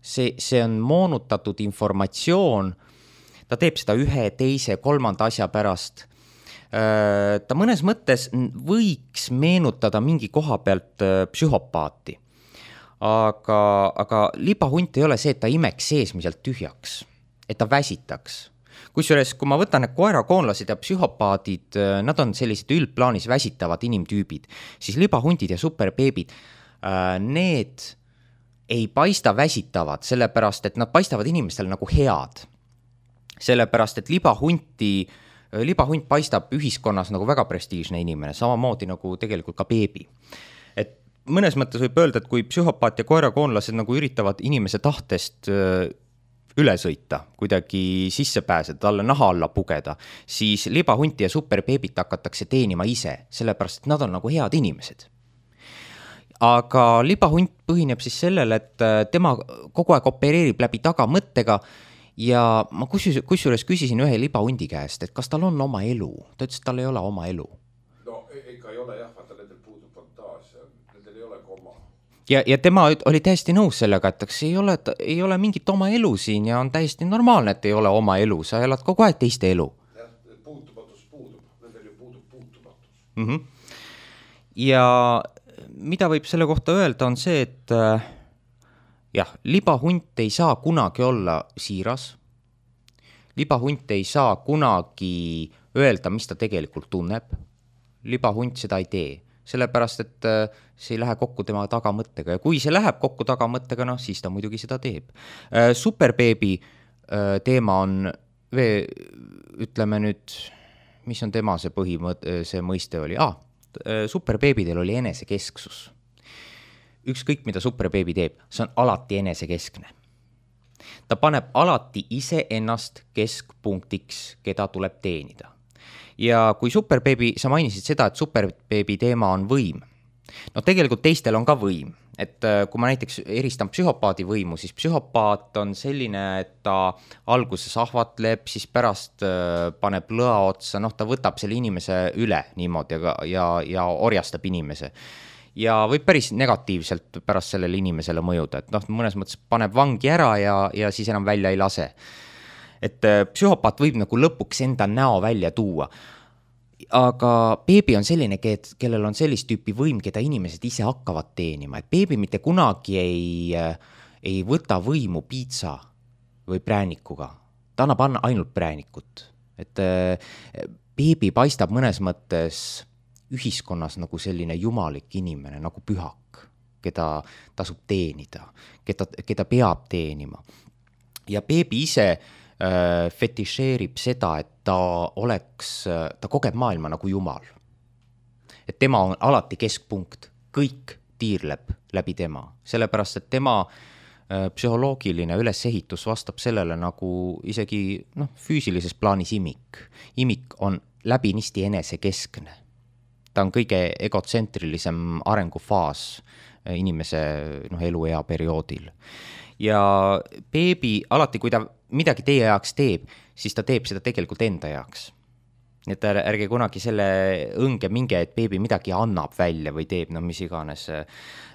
See, see on moonutatud informatsioon, ta teeb seda ühe, teise, kolmanda asja pärast. Ta mõnes mõttes võiks meenutada mingi koha pealt psühhopaati, aga, aga libahunt ei ole see, et ta imeks seesmiselt tühjaks, et ta väsitaks. Kusjuures, kui ma võtan need koerakoonlased ja psühhopaadid, nad on sellised üldplaanis väsitavad inimtüübid, siis libahundid ja superbeebid, need ei paista väsitavad, sellepärast, et nad paistavad inimestele nagu head. Sellepärast, et libahunti libahunt paistab ühiskonnas nagu väga prestiižne inimene, samamoodi nagu tegelikult ka beebi. Et mõnes mõttes võib öelda, et kui psühhopaat ja koerakoonlased nagu üritavad inimese tahtest üle sõita, kuidagi sisse pääseda, talle naha alla pugeda, siis libahunti ja superbeebit hakatakse teenima ise, sellepärast, et nad on nagu head inimesed. Aga libahunt põhineb siis sellele, et tema kogu aeg opereerib läbi tagamõttega. Ja ma kusjuures küsisin ühe libahundi käest, et kas tal on oma elu. Ta ütles, et tal ei ole oma elu. No ikka ei ole jah, vaata nendel puudub fantaasia, nendel ei ole oma. Ja, ja tema oli täiesti nõus sellega, et ei ole, ei ole mingit oma elu siin ja on täiesti normaalne, et ei ole oma elu. Sa elad kogu aeg teiste elu. Jah, puutumatus puudub, nendel ju puudub puutumatus. Mm-hmm. Ja mida võib selle kohta öelda on see, et jah, libahunt ei saa kunagi olla siiras. Libahunt ei saa kunagi öelda, mis ta tegelikult tunneb. Libahunt seda ei tee, sellepärast, et see ei lähe kokku tema tagamõttega. Ja kui see läheb kokku tagamõttega, no, siis ta muidugi seda teeb. Superbeebi teema on, ütleme nüüd, mis on tema see põhimõt, see mõiste oli? Ah, superbeebidel oli enesekesksus. Ükskõik, mida superbeebi teeb, see on alati enesekeskne. Ta paneb alati ise ennast keskpunktiks, keda tuleb teenida. Ja kui superbeebi, sa mainisid seda, et superbeebi teema on võim. No tegelikult teistel on ka võim. Et kui ma näiteks eristan psühhopaadi võimu, siis psühhopaat on selline, et ta alguses ahvatleb, siis pärast paneb lõa otsa, noh, ta võtab selle inimese üle niimoodi ja, ja, ja orjastab inimese. Ja võib päris negatiivselt pärast sellele inimesele mõjuda, et noh, mõnes mõttes paneb vangi ära ja, ja siis enam välja ei lase. Et psühhopaat võib nagu lõpuks enda näo välja tuua. Aga beebi on selline, kellel on sellist tüüpi võim, keda inimesed ise hakkavad teenima. Et beebi mitte kunagi ei, ei võta võimu piitsa või präänikuga. Ta annab ainult präänikut. Et beebi paistab mõnes mõttes ühiskonnas nagu selline jumalik inimene, nagu pühak, keda tasub teenida, keda, keda peab teenima. Ja beebi ise äh, fetišeerib seda, et ta oleks, ta kogeb maailma nagu jumal. Et tema on alati keskpunkt, kõik tiirleb läbi tema, sellepärast, et tema äh, psühholoogiline ülesehitus vastab sellele nagu isegi noh, füüsilises plaanis imik. Imik on läbinisti enesekeskne. Ta on kõige egotsentrilisem arengufaas inimese noh, eluea perioodil. Ja beebi alati, kui ta midagi teie jaoks teeb, siis ta teeb seda tegelikult enda jaoks. Nii et ärge kunagi selle õnge minge, et beebi midagi annab välja või teeb, no mis iganes.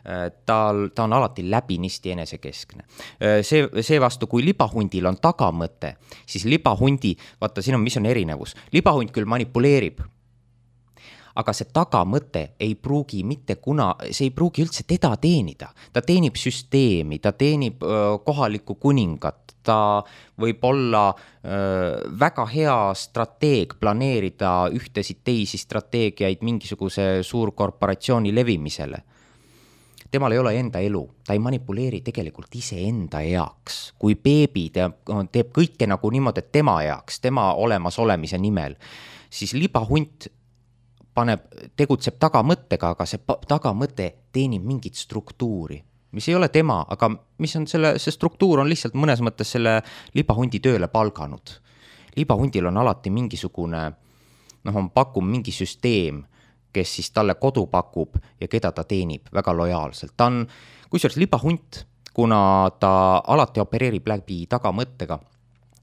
Ta, ta on alati läbinisti enesekeskne. See, see vastu, kui libahundil on tagamõte, siis libahundi, vaata, siin on, mis on erinevus. Libahund küll manipuleerib, aga see tagamõte ei pruugi mitte kuna, see ei pruugi üldse teda teenida. Ta teenib süsteemi, ta teenib öö, kohalikku kuningat, ta võib olla öö, väga hea strateeg planeerida ühtesid teisi strateegiaid mingisuguse suurkorporatsiooni levimisele. Temal ei ole enda elu, ta ei manipuleeri tegelikult ise enda jaoks. Kui beebi teeb, teeb kõike nagu niimoodi, et tema jaoks, tema olemas olemise nimel, siis libahunt paneb, tegutseb tagamõttega, aga see tagamõte teenib mingit struktuuri, mis ei ole tema, aga mis on selle, see struktuur on lihtsalt mõnes mõttes selle libahundi tööle palganud. Libahundil on alati mingisugune, noh, on pakub mingi süsteem, kes siis talle kodu pakub ja keda ta teenib väga lojaalselt. Ta on, kusjuures libahunt, kuna ta alati opereerib läbi tagamõttega,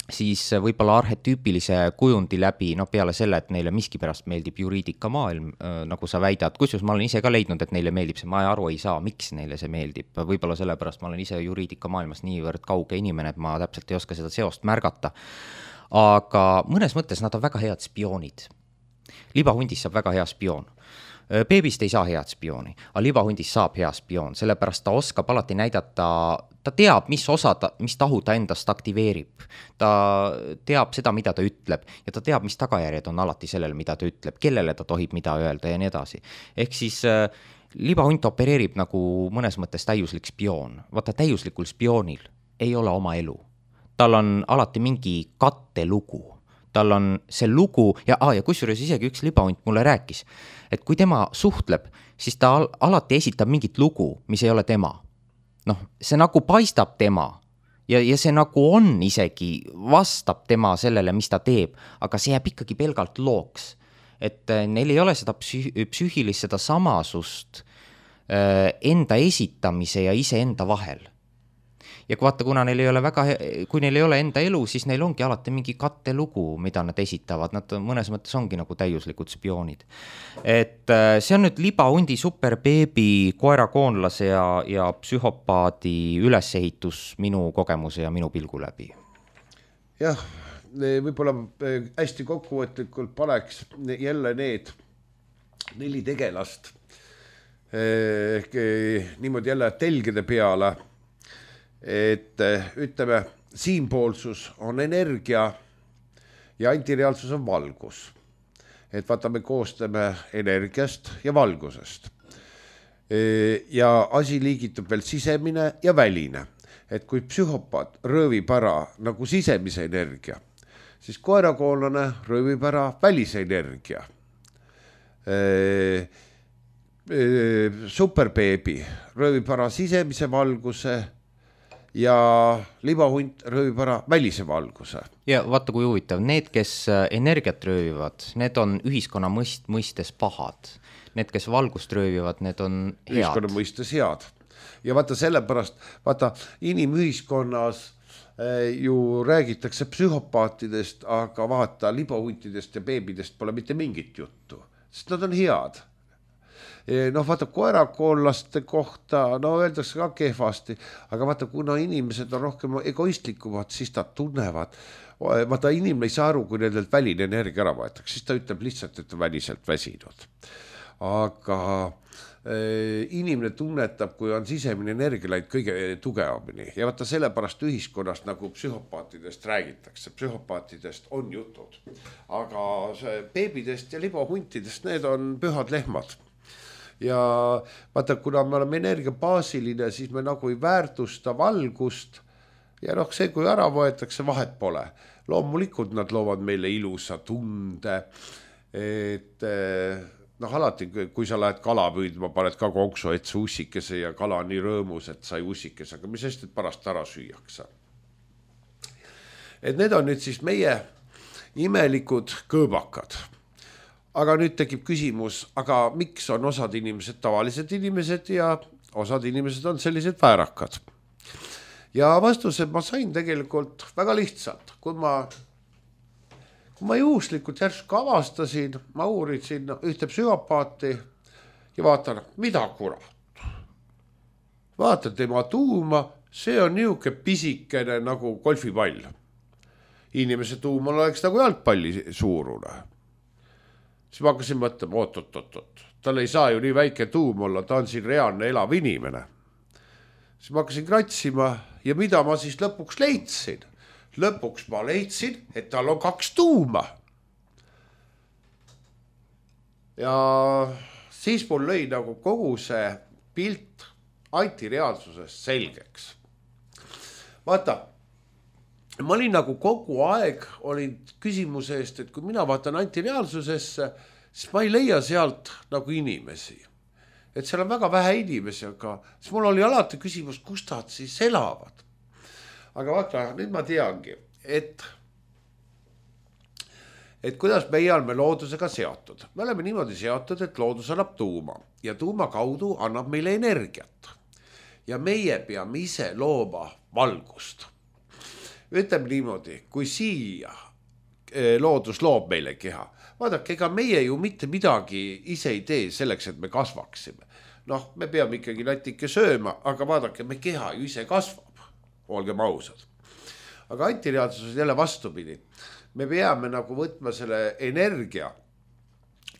siis võib-olla arhetüüpilise kujundi läbi, no peale selle, et neile miskipärast meeldib juriidika maailm, nagu sa väidad, kusjuures ma olen ise ka leidnud, et neile meeldib see, ma aru ei saa, miks neile see meeldib, võib-olla sellepärast ma olen ise juriidika maailmas niivõrd kauge inimene, et ma täpselt ei oska seda seost märgata, aga mõnes mõttes nad on väga head spioonid. Libahundis saab väga hea spioon. Beebist ei saa head spiooni, aga libahundis saab hea spioon, sellepärast ta oskab alati näidata, ta teab, mis osa, ta, mis tahu ta endast aktiveerib. Ta teab seda, mida ta ütleb ja ta teab, mis tagajärjed on alati sellele, mida ta ütleb, kellele ta tohib mida öelda ja nii edasi. Ehk siis äh, libahunt opereerib nagu mõnes mõttes täiuslik spioon. Vaata, täiuslikul spioonil ei ole oma elu. Tal on alati mingi kattelugu. Tal on see lugu ja, ah, ja kusjuures isegi üks libahunt mulle rääkis, et kui tema suhtleb, siis ta al- alati esitab mingit lugu, mis ei ole tema. Noh, see nagu paistab tema ja, ja see nagu on isegi, vastab tema sellele, mis ta teeb, aga see jääb ikkagi pelgalt looks. Et neil ei ole seda psüh- psüühilist, seda samasust äh, enda esitamise ja ise enda vahel. Ja kui vaata, kuna neil ei ole väga, kui neil ei ole enda elu, siis neil ongi alati mingi kattelugu, mida nad esitavad. Nad mõnes mõttes ongi nagu täiuslikud spioonid. Et see on nüüd libahundi, superbeebi, koerakoonlase ja, ja psühhopaadi ülesehitus minu kogemuse ja minu pilgu läbi. Jah, võib-olla hästi kokkuvõtlikult paneks jälle need neli tegelast ehk niimoodi jälle telgede peale, et ütleme, siinpoolsus on energia ja antireaalsus on valgus. Et vaata, me koostame energiast ja valgusest. Ja asi liigitub veel sisemine ja väline. Et kui psühhopaat röövib ära nagu sisemise energia, siis koerakoonlane röövib ära välise energia. Superbeebi röövib ära sisemise valguse ja libahunt röövib ära välise valguse. Ja vaata, kui huvitav, need, kes energiat röövivad, need on ühiskonna mõist, mõistes pahad. Need, kes valgust röövivad, need on head. Ühiskonna mõistes head. Ja vaata sellepärast, vaata inimühiskonnas ju räägitakse psühhopaatidest, aga vaata libahuntidest ja beebidest pole mitte mingit juttu, sest nad on head. Noh, vaata koerakoonlaste kohta, no öeldakse ka kehvasti, aga vaata, kuna inimesed on rohkem egoistlikumad, siis ta tunnevad, vaata inimene ei saa aru, kui nendelt väline energia ära võetakse, siis ta ütleb lihtsalt, et on väliselt väsinud. Aga äh, inimene tunnetab, kui on sisemine energia läinud kõige tugevamini ja vaata sellepärast ühiskonnast nagu psühhopaatidest räägitakse, psühhopaatidest on jutud, aga beebidest ja libahuntidest, need on pühad lehmad. Ja vaata, kuna me oleme energiabaasiline, siis me nagu ei väärtusta valgust ja noh, see, kui ära võetakse, vahet pole. Loomulikult nad loovad meile ilusa tunde, et noh, alati, kui sa lähed kala püüdma, paned ka konksu etse ussikese ja kala on nii rõõmus, et sai ussikese, aga mis sest, et pärast ära süüakse. Et need on nüüd siis meie imelikud kõõbakad. Aga nüüd tekib küsimus, aga miks on osad inimesed tavalised inimesed ja osad inimesed on sellised väärakad. Ja vastused ma sain tegelikult väga lihtsalt, kui ma, kui ma juhuslikult järsku avastasin, ma uurisin ühte psühhopaati ja vaatan, mida kurat. Vaatan tema tuuma, see on niuke pisikene nagu golfipall. Inimese tuumal oleks nagu jalgpalli suurune. Siis ma hakkasin mõtlema, oot, oot, oot, oot. Tal ei saa ju nii väike tuum olla, ta on siin reaalne elav inimene. Siis ma hakkasin kratsima ja mida ma siis lõpuks leidsin? Lõpuks ma leidsin, et tal on kaks tuuma. Ja siis mul lõi nagu kogu see pilt antireaalsusest selgeks. Vaata, ma olin nagu kogu aeg olin küsimuse eest, et kui mina vaatan antireaalsusesse, siis ma ei leia sealt nagu inimesi. Et seal on väga vähe inimesi, aga siis mul oli alati küsimus, kus nad siis elavad. Aga vaata, nüüd ma teangi, et, et kuidas meie oleme loodusega seotud. Me oleme niimoodi seotud, et loodus annab tuuma ja tuuma kaudu annab meile energiat. Ja meie peame ise looma valgust. Ütleme niimoodi, kui siia loodus loob meile keha, vaadake, ega meie ju mitte midagi ise ei tee selleks, et me kasvaksime. Noh, me peame ikkagi natike sööma, aga vaadake, me keha ju ise kasvab, olgem ausad. Aga antireaalsus on jälle vastupidi. Me peame nagu võtma selle energia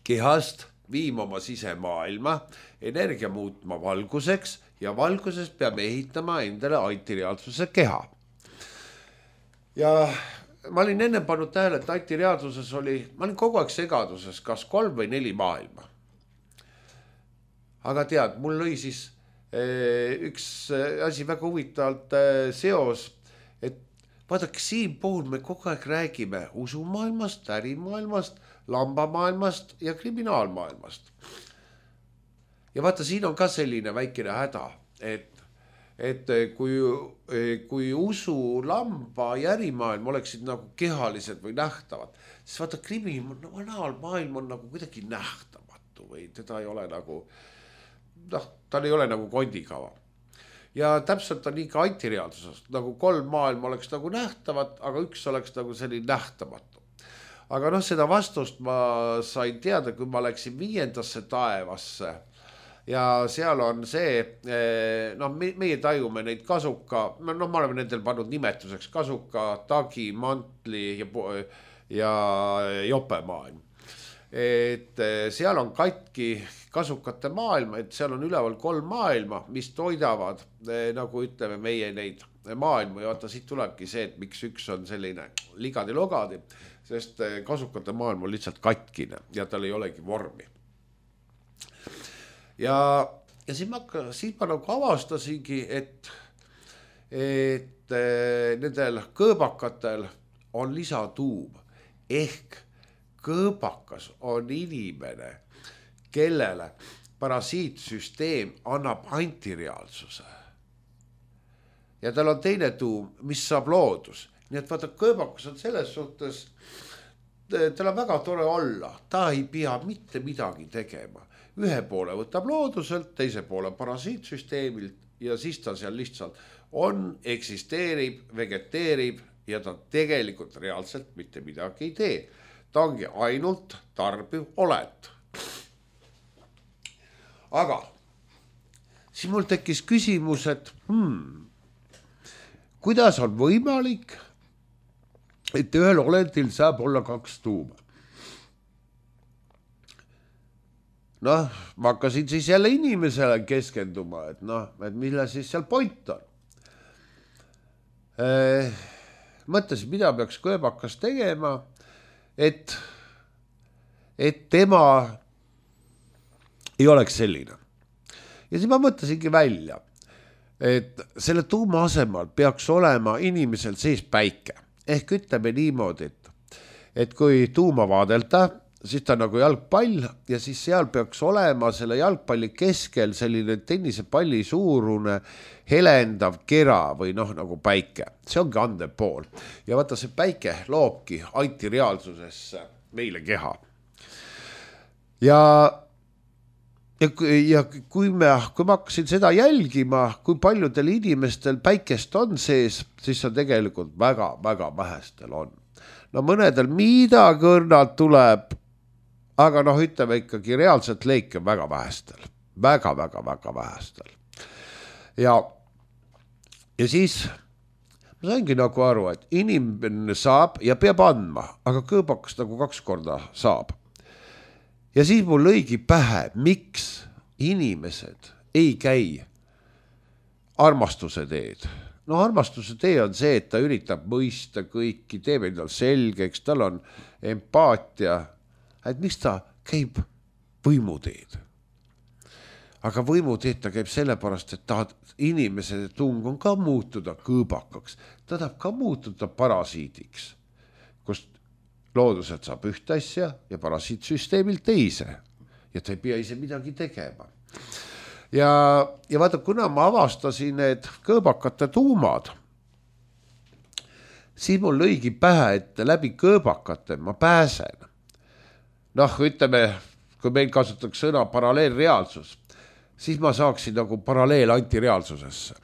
kehast, viima oma sisemaailma, energia muutma valguseks ja valguses peame ehitama endale antireaalsuse keha. Ja ma olin enne pannud tähele, et antireaalsuses oli, ma olin kogu aeg segaduses, kas kolm või neli maailma. Aga tead, mul lõi siis eh, üks asi väga huvitavalt eh, seos, et vaadake, siin puhul me kogu aeg räägime usumaailmast, ärimaailmast, lambamaailmast ja kriminaalmaailmast. Ja vaata, siin on ka selline väikene häda, et et kui, kui usu, lamba ja ärimaailm oleksid nagu kehalised või nähtavad, siis vaata, kriminaalmaailm on nagu kuidagi nähtamatu või teda ei ole nagu, noh, tal ei ole nagu kondikava. Ja täpselt on nii ka antireaalsuses, nagu kolm maailma oleks nagu nähtavad, aga üks oleks nagu selline nähtamatu. Aga noh, seda vastust ma sain teada, kui ma läksin viiendasse taevasse. Ja seal on see, no meie tajume neid kasuka, no me oleme nendel pannud nimetuseks kasuka, tagi, mantli ja, ja jopemaailm. Et seal on katki kasukate maailma, et seal on üleval kolm maailma, mis toidavad, nagu ütleme meie neid maailma. Ja vaata, siit tulebki see, et miks üks on selline ligadi-logadi, sest kasukate maailm on lihtsalt katkine ja tal ei olegi vormi. Ja, ja siis ma, siis ma nagu avastasingi, et, et nendel kõõbakatel on lisatuum. Ehk kõõbakas on inimene, kellele parasiitsüsteem annab antireaalsuse. Ja tal on teine tuum, mis saab loodus. Nii et vaata, kõõbakas on selles suhtes, tal on väga tore olla. Ta ei pea mitte midagi tegema. Ühe poole võtab looduselt, teise poole parasiitsüsteemilt ja siis ta seal lihtsalt on, eksisteerib, vegeteerib ja ta tegelikult reaalselt mitte midagi ei tee. Ta ongi ainult tarbiv oled. Aga siis mul tekkis küsimus, et hmm, kuidas on võimalik, et ühel olendil saab olla kaks tuuma? Noh, ma hakkasin siis jälle inimesele keskenduma, et noh, et mille siis seal point on. Eh, mõtlesin, mida peaks kõõbakas tegema, et, et tema ei oleks selline. Ja siis ma mõtlesingi välja, et selle tuuma asemel peaks olema inimesel sees päike. Ehk ütleme niimoodi, et, et kui tuuma vaadelda, siis ta on nagu jalgpall ja siis seal peaks olema selle jalgpalli keskel selline tennisepalli suurune helendav kera või noh nagu päike. See ongi andev pool. Ja vaata, see päike loobki antireaalsusesse meile keha. Ja ja, ja kui, me, kui ma hakkasin seda jälgima, kui paljudel inimestel päikest on sees, siis on tegelikult väga-väga vähestel on. No mõnedel midagi õrnalt tuleb, aga noh, ütleme ikkagi reaalselt leike väga vähestel, väga-väga-väga vähestel. Ja, ja siis ma saingi nagu aru, et inimene saab ja peab andma, aga kõõbakas nagu kaks korda saab. Ja siis mul lõigi pähe, miks inimesed ei käi armastuse teed. No armastuse tee on see, et ta üritab mõista kõiki, teeb endal selgeks, tal on empaatia, et miks ta käib võimuteed. Aga võimuteed ta käib sellepärast, et ta inimese tung on ka muutuda kõõbakaks. Ta tahab ka muutuda parasiidiks, kust looduselt saab ühte asja ja parasiitsüsteemilt teise. Ja ta ei pea ise midagi tegema. Ja, ja vaata, kuna ma avastasin need kõõbakate tuumad, siis mul lõigi pähe, et läbi kõõbakate ma pääsen. Noh, ütleme, kui meil kasutatakse sõna paralleelreaalsus, siis ma saaksin nagu paralleel antireaalsusesse.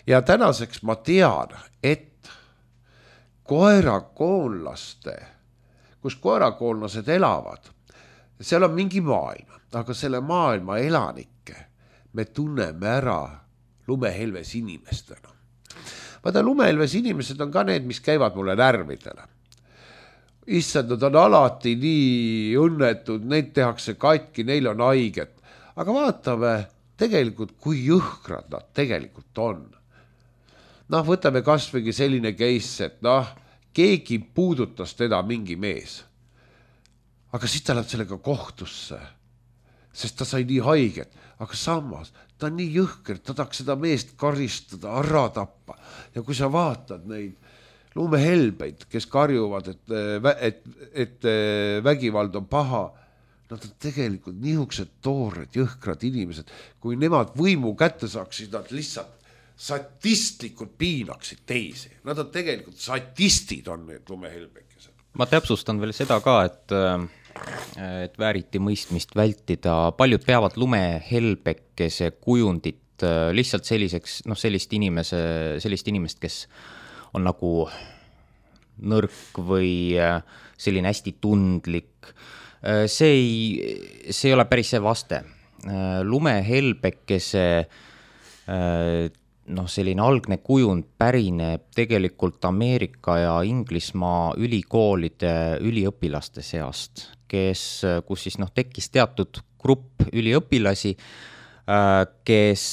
Ja tänaseks ma tean, et koerakoonlaste, kus koerakoonlased elavad, seal on mingi maailm, aga selle maailma elanikke me tunneme ära lumehelves inimestena. Vaata, lumehelves inimesed on ka need, mis käivad mulle närvidele. Issand, nad on alati nii õnnetud, neid tehakse katki, neil on haiget. Aga vaatame tegelikult, kui jõhkrad nad tegelikult on. Noh, võtame kasvõigi selline case, et noh, keegi puudutas teda mingi mees. Aga siis ta läheb sellega kohtusse, sest ta sai nii haiget. Aga samas, ta on nii jõhker, ta tahaks seda meest karistada, ära tappa. Ja kui sa vaatad neid lumehelbeid, kes karjuvad, et, et, et vägivald on paha, nad on tegelikult niisugused toored, jõhkrad inimesed. Kui nemad võimu kätte saaksid, nad lihtsalt satistlikult piinaksid teisi. Nad on tegelikult satistid, on need lumehelbekesed. Ma täpsustan veel seda ka, et, et vääriti mõistmist vältida. Paljud peavad lumehelbekese kujundit lihtsalt selliseks, noh, sellist inimese, sellist inimest, kes on nagu nõrk või selline hästi tundlik. See ei, see ei ole päris see vaste. Lumehelbekese noh, selline algne kujund pärineb tegelikult Ameerika ja Inglismaa ülikoolide üliõpilaste seast, kes, kus siis noh, tekkis teatud grupp üliõpilasi, kes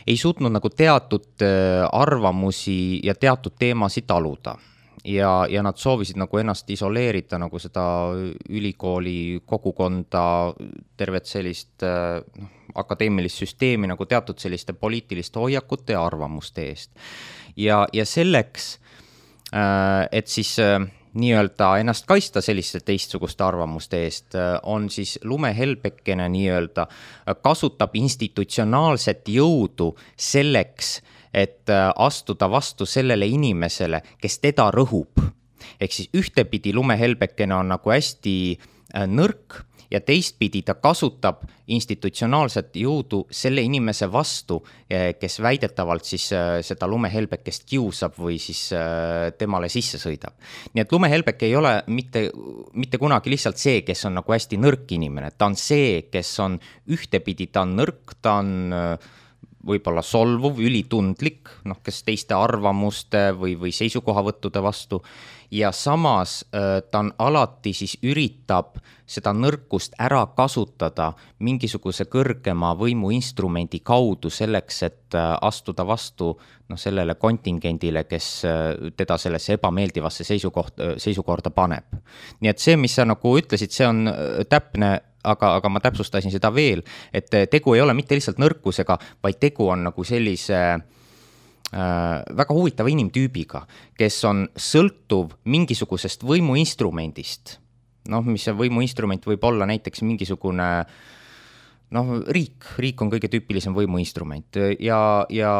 ei suutnud nagu teatud arvamusi ja teatud teemasid taluda. Ja, ja nad soovisid nagu ennast isoleerida nagu seda ülikooli kogukonda, tervet sellist noh, akadeemilist süsteemi nagu teatud selliste poliitiliste hoiakute ja arvamuste eest. Ja, ja selleks, et siis nii-öelda ennast kaista selliste teistsuguste arvamuste eest, on siis lumehelbekene nii-öelda kasutab institutsionaalset jõudu selleks, et astuda vastu sellele inimesele, kes teda rõhub. Ehk siis ühtepidi lumehelbekene on nagu hästi nõrk ja teistpidi ta kasutab institutsionaalset jõudu selle inimese vastu, kes väidetavalt siis seda lumehelbekest kiusab või siis temale sisse sõidab. Nii et lumehelbek ei ole mitte, mitte kunagi lihtsalt see, kes on nagu hästi nõrk inimene. Ta on see, kes on ühtepidi, ta on nõrk, ta on võib-olla solvuv, ülitundlik, noh, kes teiste arvamuste või, või seisukohavõttude vastu. Ja samas ta on alati siis üritab seda nõrkust ära kasutada mingisuguse kõrgema võimuinstrumendi kaudu selleks, et astuda vastu noh, sellele kontingendile, kes teda sellesse ebameeldivasse seisukoht, seisukorda paneb. Nii et see, mis sa nagu ütlesid, see on täpne, aga, aga ma täpsustasin seda veel, et tegu ei ole mitte lihtsalt nõrkusega, vaid tegu on nagu sellise äh, väga huvitava inimtüübiga, kes on sõltuv mingisugusest võimuinstrumendist. Noh, mis see võimuinstrument võib olla näiteks mingisugune noh, riik, riik on kõige tüüpilisem võimuinstrument ja, ja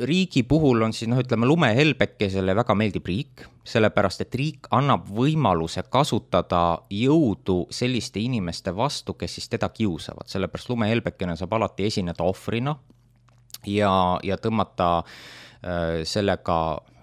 riigi puhul on siis, noh, ütleme, lumehelbekesele väga meeldib riik, sellepärast, et riik annab võimaluse kasutada jõudu selliste inimeste vastu, kes siis teda kiusavad, sellepärast lumehelbekene saab alati esineda ohvrina ja, ja tõmmata äh, sellega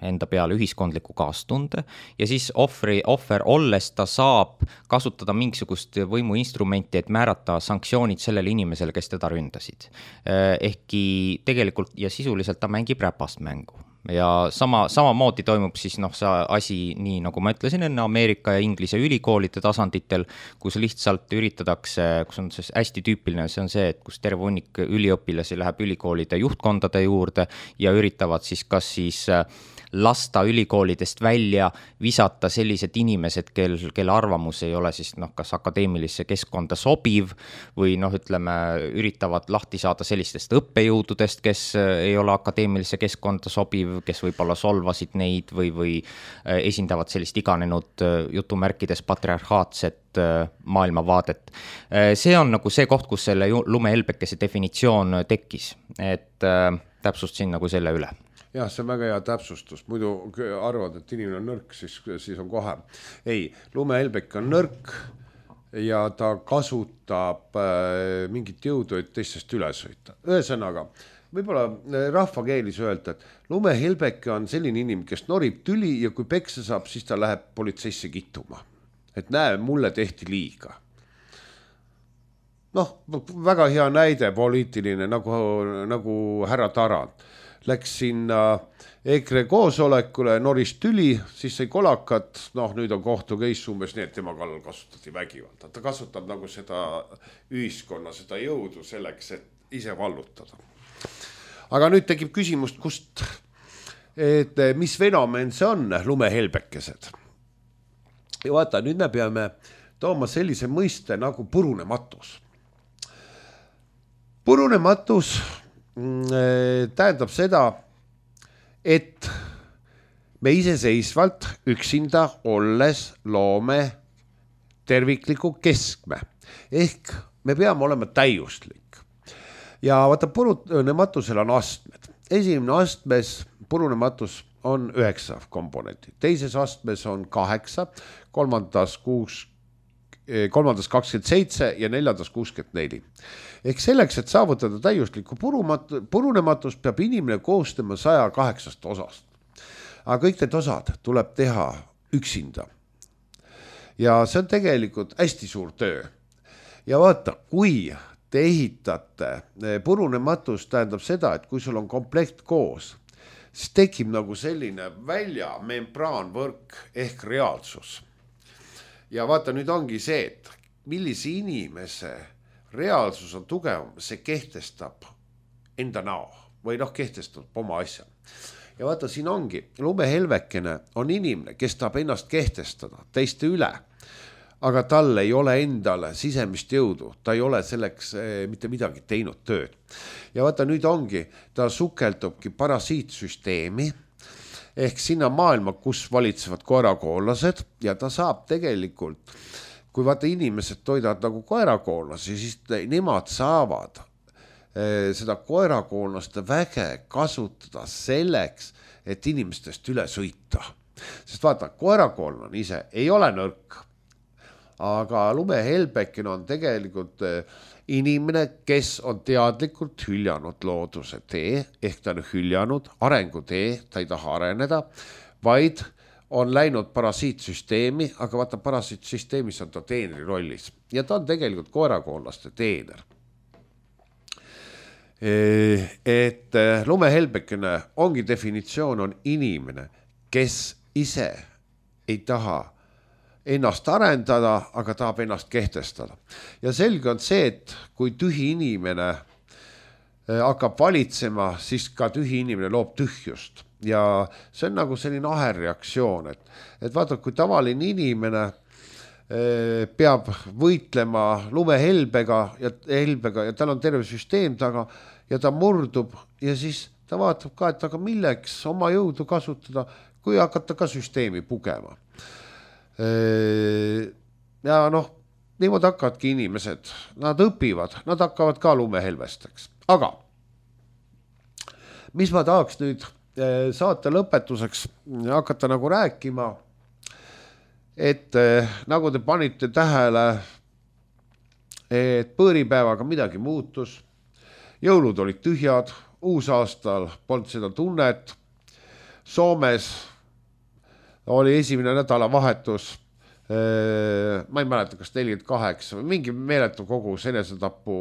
enda peale ühiskondliku kaastunde ja siis ohvri, ohver olles ta saab kasutada mingisugust võimuinstrumenti, et määrata sanktsioonid sellele inimesele, kes teda ründasid. Ehkki tegelikult ja sisuliselt ta mängib räpast mängu. Ja sama, samamoodi toimub siis noh, see asi nii, nagu ma ütlesin enne, Ameerika ja Inglise ülikoolide tasanditel, kus lihtsalt üritatakse, kus on see hästi tüüpiline, see on see, et kus terve hunnik üliõpilasi läheb ülikoolide juhtkondade juurde ja üritavad siis kas siis lasta ülikoolidest välja, visata sellised inimesed, kel, kelle arvamus ei ole siis noh, kas akadeemilisse keskkonda sobiv või noh, ütleme, üritavad lahti saada sellistest õppejõududest, kes ei ole akadeemilisse keskkonda sobiv, kes võib-olla solvasid neid või, või esindavad sellist iganenud jutumärkides patriarhaatset maailmavaadet. See on nagu see koht, kus selle lumehelbekese definitsioon tekkis, et täpsustasin nagu selle üle. Jah, see on väga hea täpsustus, muidu arvad, et inimene on nõrk, siis, siis on kohe. Ei, lumehelbek on nõrk ja ta kasutab äh, mingit jõudu, et teistest üle sõita. Ühesõnaga, võib-olla rahvakeelis öelda, et lumehelbeke on selline inimene, kes norib tüli ja kui peksa saab, siis ta läheb politseisse kittuma. Et näe, mulle tehti liiga. Noh, väga hea näide poliitiline, nagu, nagu härra Tarand. Läks sinna EKRE koosolekule, noris tüli, siis sai kolakat, noh nüüd on kohtu keis umbes nii, et tema kallal kasutati vägivalda. Ta kasutab nagu seda ühiskonna, seda jõudu selleks, et ise vallutada. Aga nüüd tekib küsimust, kust, et mis fenomen see on, lumehelbekesed. Ja vaata, nüüd me peame tooma sellise mõiste nagu purunematus. Purunematus tähendab seda, et me iseseisvalt üksinda olles loome tervikliku keskme. Ehk me peame olema täiuslik. Ja vaata, purunematusel on astmed. Esimene astmes purunematus on üheksa komponenti. Teises astmes on kaheksa, kolmandas kuus, kolmandas kakskümmend seitse ja neljandas kuuskümmend neli. Ehk selleks, et saavutada täiuslikku purunematus, peab inimene koostama saja kaheksast osast. Aga kõik need osad tuleb teha üksinda. Ja see on tegelikult hästi suur töö. Ja vaata, kui te ehitate purunematus, tähendab seda, et kui sul on komplekt koos, siis tekib nagu selline välja membraanvõrk ehk reaalsus. Ja vaata, nüüd ongi see, et millise inimese reaalsus on tugevam, see kehtestab enda näo või noh, kehtestab oma asja. Ja vaata, siin ongi, lumehelbekene on inimene, kes tahab ennast kehtestada teiste üle, aga tal ei ole endale sisemist jõudu, ta ei ole selleks mitte midagi teinud tööd. Ja vaata, nüüd ongi, ta sukeldubki parasiitsüsteemi, ehk sinna maailma, kus valitsevad koerakoollased ja ta saab tegelikult, kui vaata inimesed toidavad nagu koerakoolasi, siis nemad saavad eh, seda koerakoolnaste väge kasutada selleks, et inimestest üle sõita. Sest vaata, koerakoolnane ise ei ole nõrk, aga lumehelbekene on tegelikult eh, inimene, kes on teadlikult hüljanud looduse tee, ehk ta on hüljanud arengutee, ta ei taha areneda, vaid on läinud parasiitsüsteemi, aga vaata, parasiitsüsteemis on ta teenri rollis ja ta on tegelikult koerakoonlaste teener. Et lumehelbekene ongi definitsioon on inimene, kes ise ei taha ennast arendada, aga tahab ennast kehtestada. Ja selge on see, et kui tühi inimene hakkab valitsema, siis ka tühi inimene loob tühjust. Ja see on nagu selline aherreaktsioon, et, et vaata, kui tavaline inimene peab võitlema lumehelbega ja, helbega ja tal on terve süsteem taga ja ta murdub ja siis ta vaatab ka, et aga milleks oma jõudu kasutada, kui hakata ka süsteemi pugema. Ja noh, niimoodi hakkavadki inimesed, nad õpivad, nad hakkavad ka lumehelvesteks. Aga mis ma tahaks nüüd saate lõpetuseks hakata nagu rääkima, et nagu te panite tähele, et põõripäevaga midagi muutus, jõulud olid tühjad, uusaastal polnud seda tunnet, Soomes oli esimene nädalavahetus, ma ei mäleta, kas nelikümmend kaheksa või mingi meeletu kogus enesetapu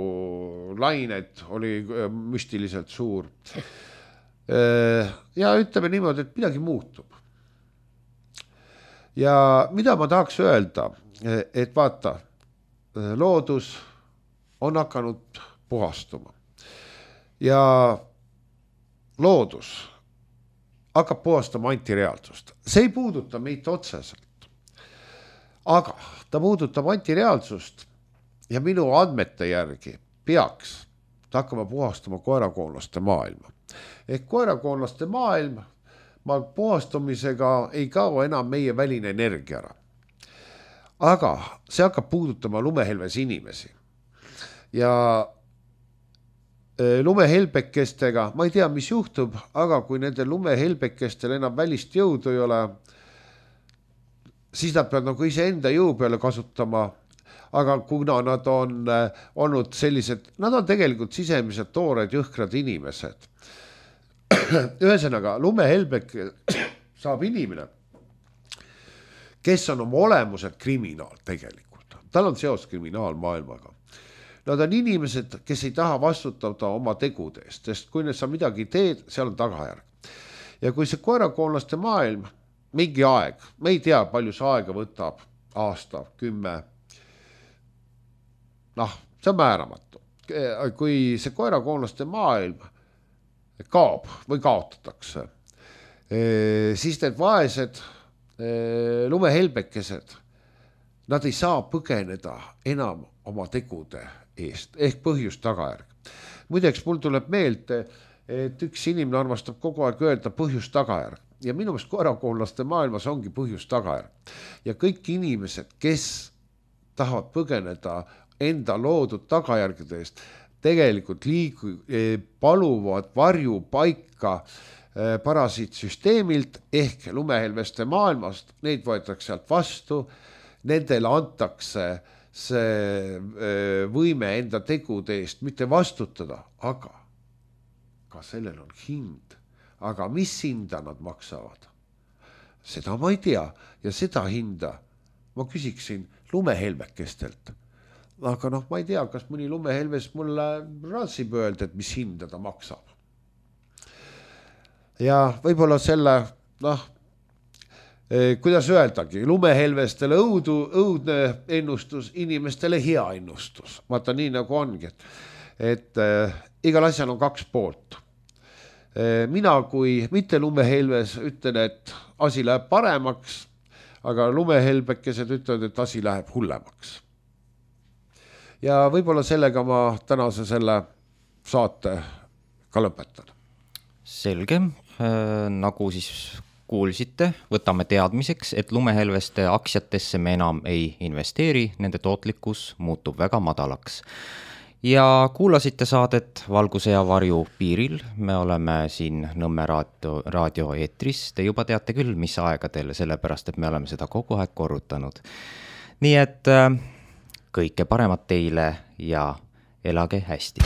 lainet oli müstiliselt suur. Ja ütleme niimoodi, et midagi muutub. Ja mida ma tahaks öelda, et vaata, loodus on hakanud puhastuma. Ja loodus hakkab puhastama antireaalsust. See ei puuduta meid otseselt. Aga ta puudutab antireaalsust ja minu andmete järgi peaks ta hakkama puhastama koerakoonlaste maailma. Ehk koerakoonlaste maailm, ma puhastumisega ei kao enam meie väline energia ära. Aga see hakkab puudutama lumehelves inimesi. Ja lumehelbekestega, ma ei tea, mis juhtub, aga kui nende lumehelbekestel enam välist jõudu ei ole, siis nad peavad nagu ise enda jõu peale kasutama. Aga kuna nad on olnud sellised, nad on tegelikult sisemiselt toored jõhkrad inimesed. Ühesõnaga, lumehelbek saab inimene, kes on oma olemuselt kriminaal tegelikult. Tal on seos kriminaalmaailmaga. Nad on inimesed, kes ei taha vastutada oma tegude eest, sest kui sa midagi teed, seal on tagajärg. Ja kui see koerakoonlaste maailm, mingi aeg, me ei tea, palju see aega võtab, aasta, kümme, noh, see on määramatu. Kui see koerakoonlaste maailm kaob või kaotatakse, siis need vaesed lumehelbekesed, nad ei saa põgeneda enam oma tegude eest, ehk põhjus tagajärg. Muideks, mul tuleb meelde, et üks inimene armastab kogu aeg öelda põhjus tagajärg. Ja minu meelest koerakoonlaste maailmas ongi põhjus tagajärg. Ja kõik inimesed, kes tahavad põgeneda enda loodud tagajärgede eest, tegelikult liigu, paluvad varju paika parasiitsüsteemilt ehk lumehelveste maailmast, neid võetakse sealt vastu, nendele antakse see võime enda tegude eest mitte vastutada, aga ka sellel on hind. Aga mis hinda nad maksavad? Seda ma ei tea ja seda hinda ma küsiksin lumehelbekestelt. Aga noh, ma ei tea, kas mõni lumehelves mulle ratsib öelda, et mis hinda ta maksab. Ja võib-olla selle, noh, kuidas öeldagi, lumehelvestele õudu, õudne ennustus, inimestele hea ennustus. Vaata nii nagu ongi, et, et äh, igal asjal on kaks poolt. Äh, mina kui mitte lumehelves ütlen, et asi läheb paremaks, aga lumehelbekesed ütlevad, et asi läheb hullemaks. Ja võib-olla sellega ma tänase selle saate ka lõpetan. Selge, äh, nagu siis kuulsite, võtame teadmiseks, et lumehelveste aktsiatesse me enam ei investeeri, nende tootlikkus muutub väga madalaks. Ja kuulasite saadet Valguse ja varju piiril, me oleme siin Nõmme raadio, raadio eetris, te juba teate küll, mis aegadel, sellepärast, et me oleme seda kogu aeg korrutanud. Nii et äh, kõike paremat teile ja elage hästi!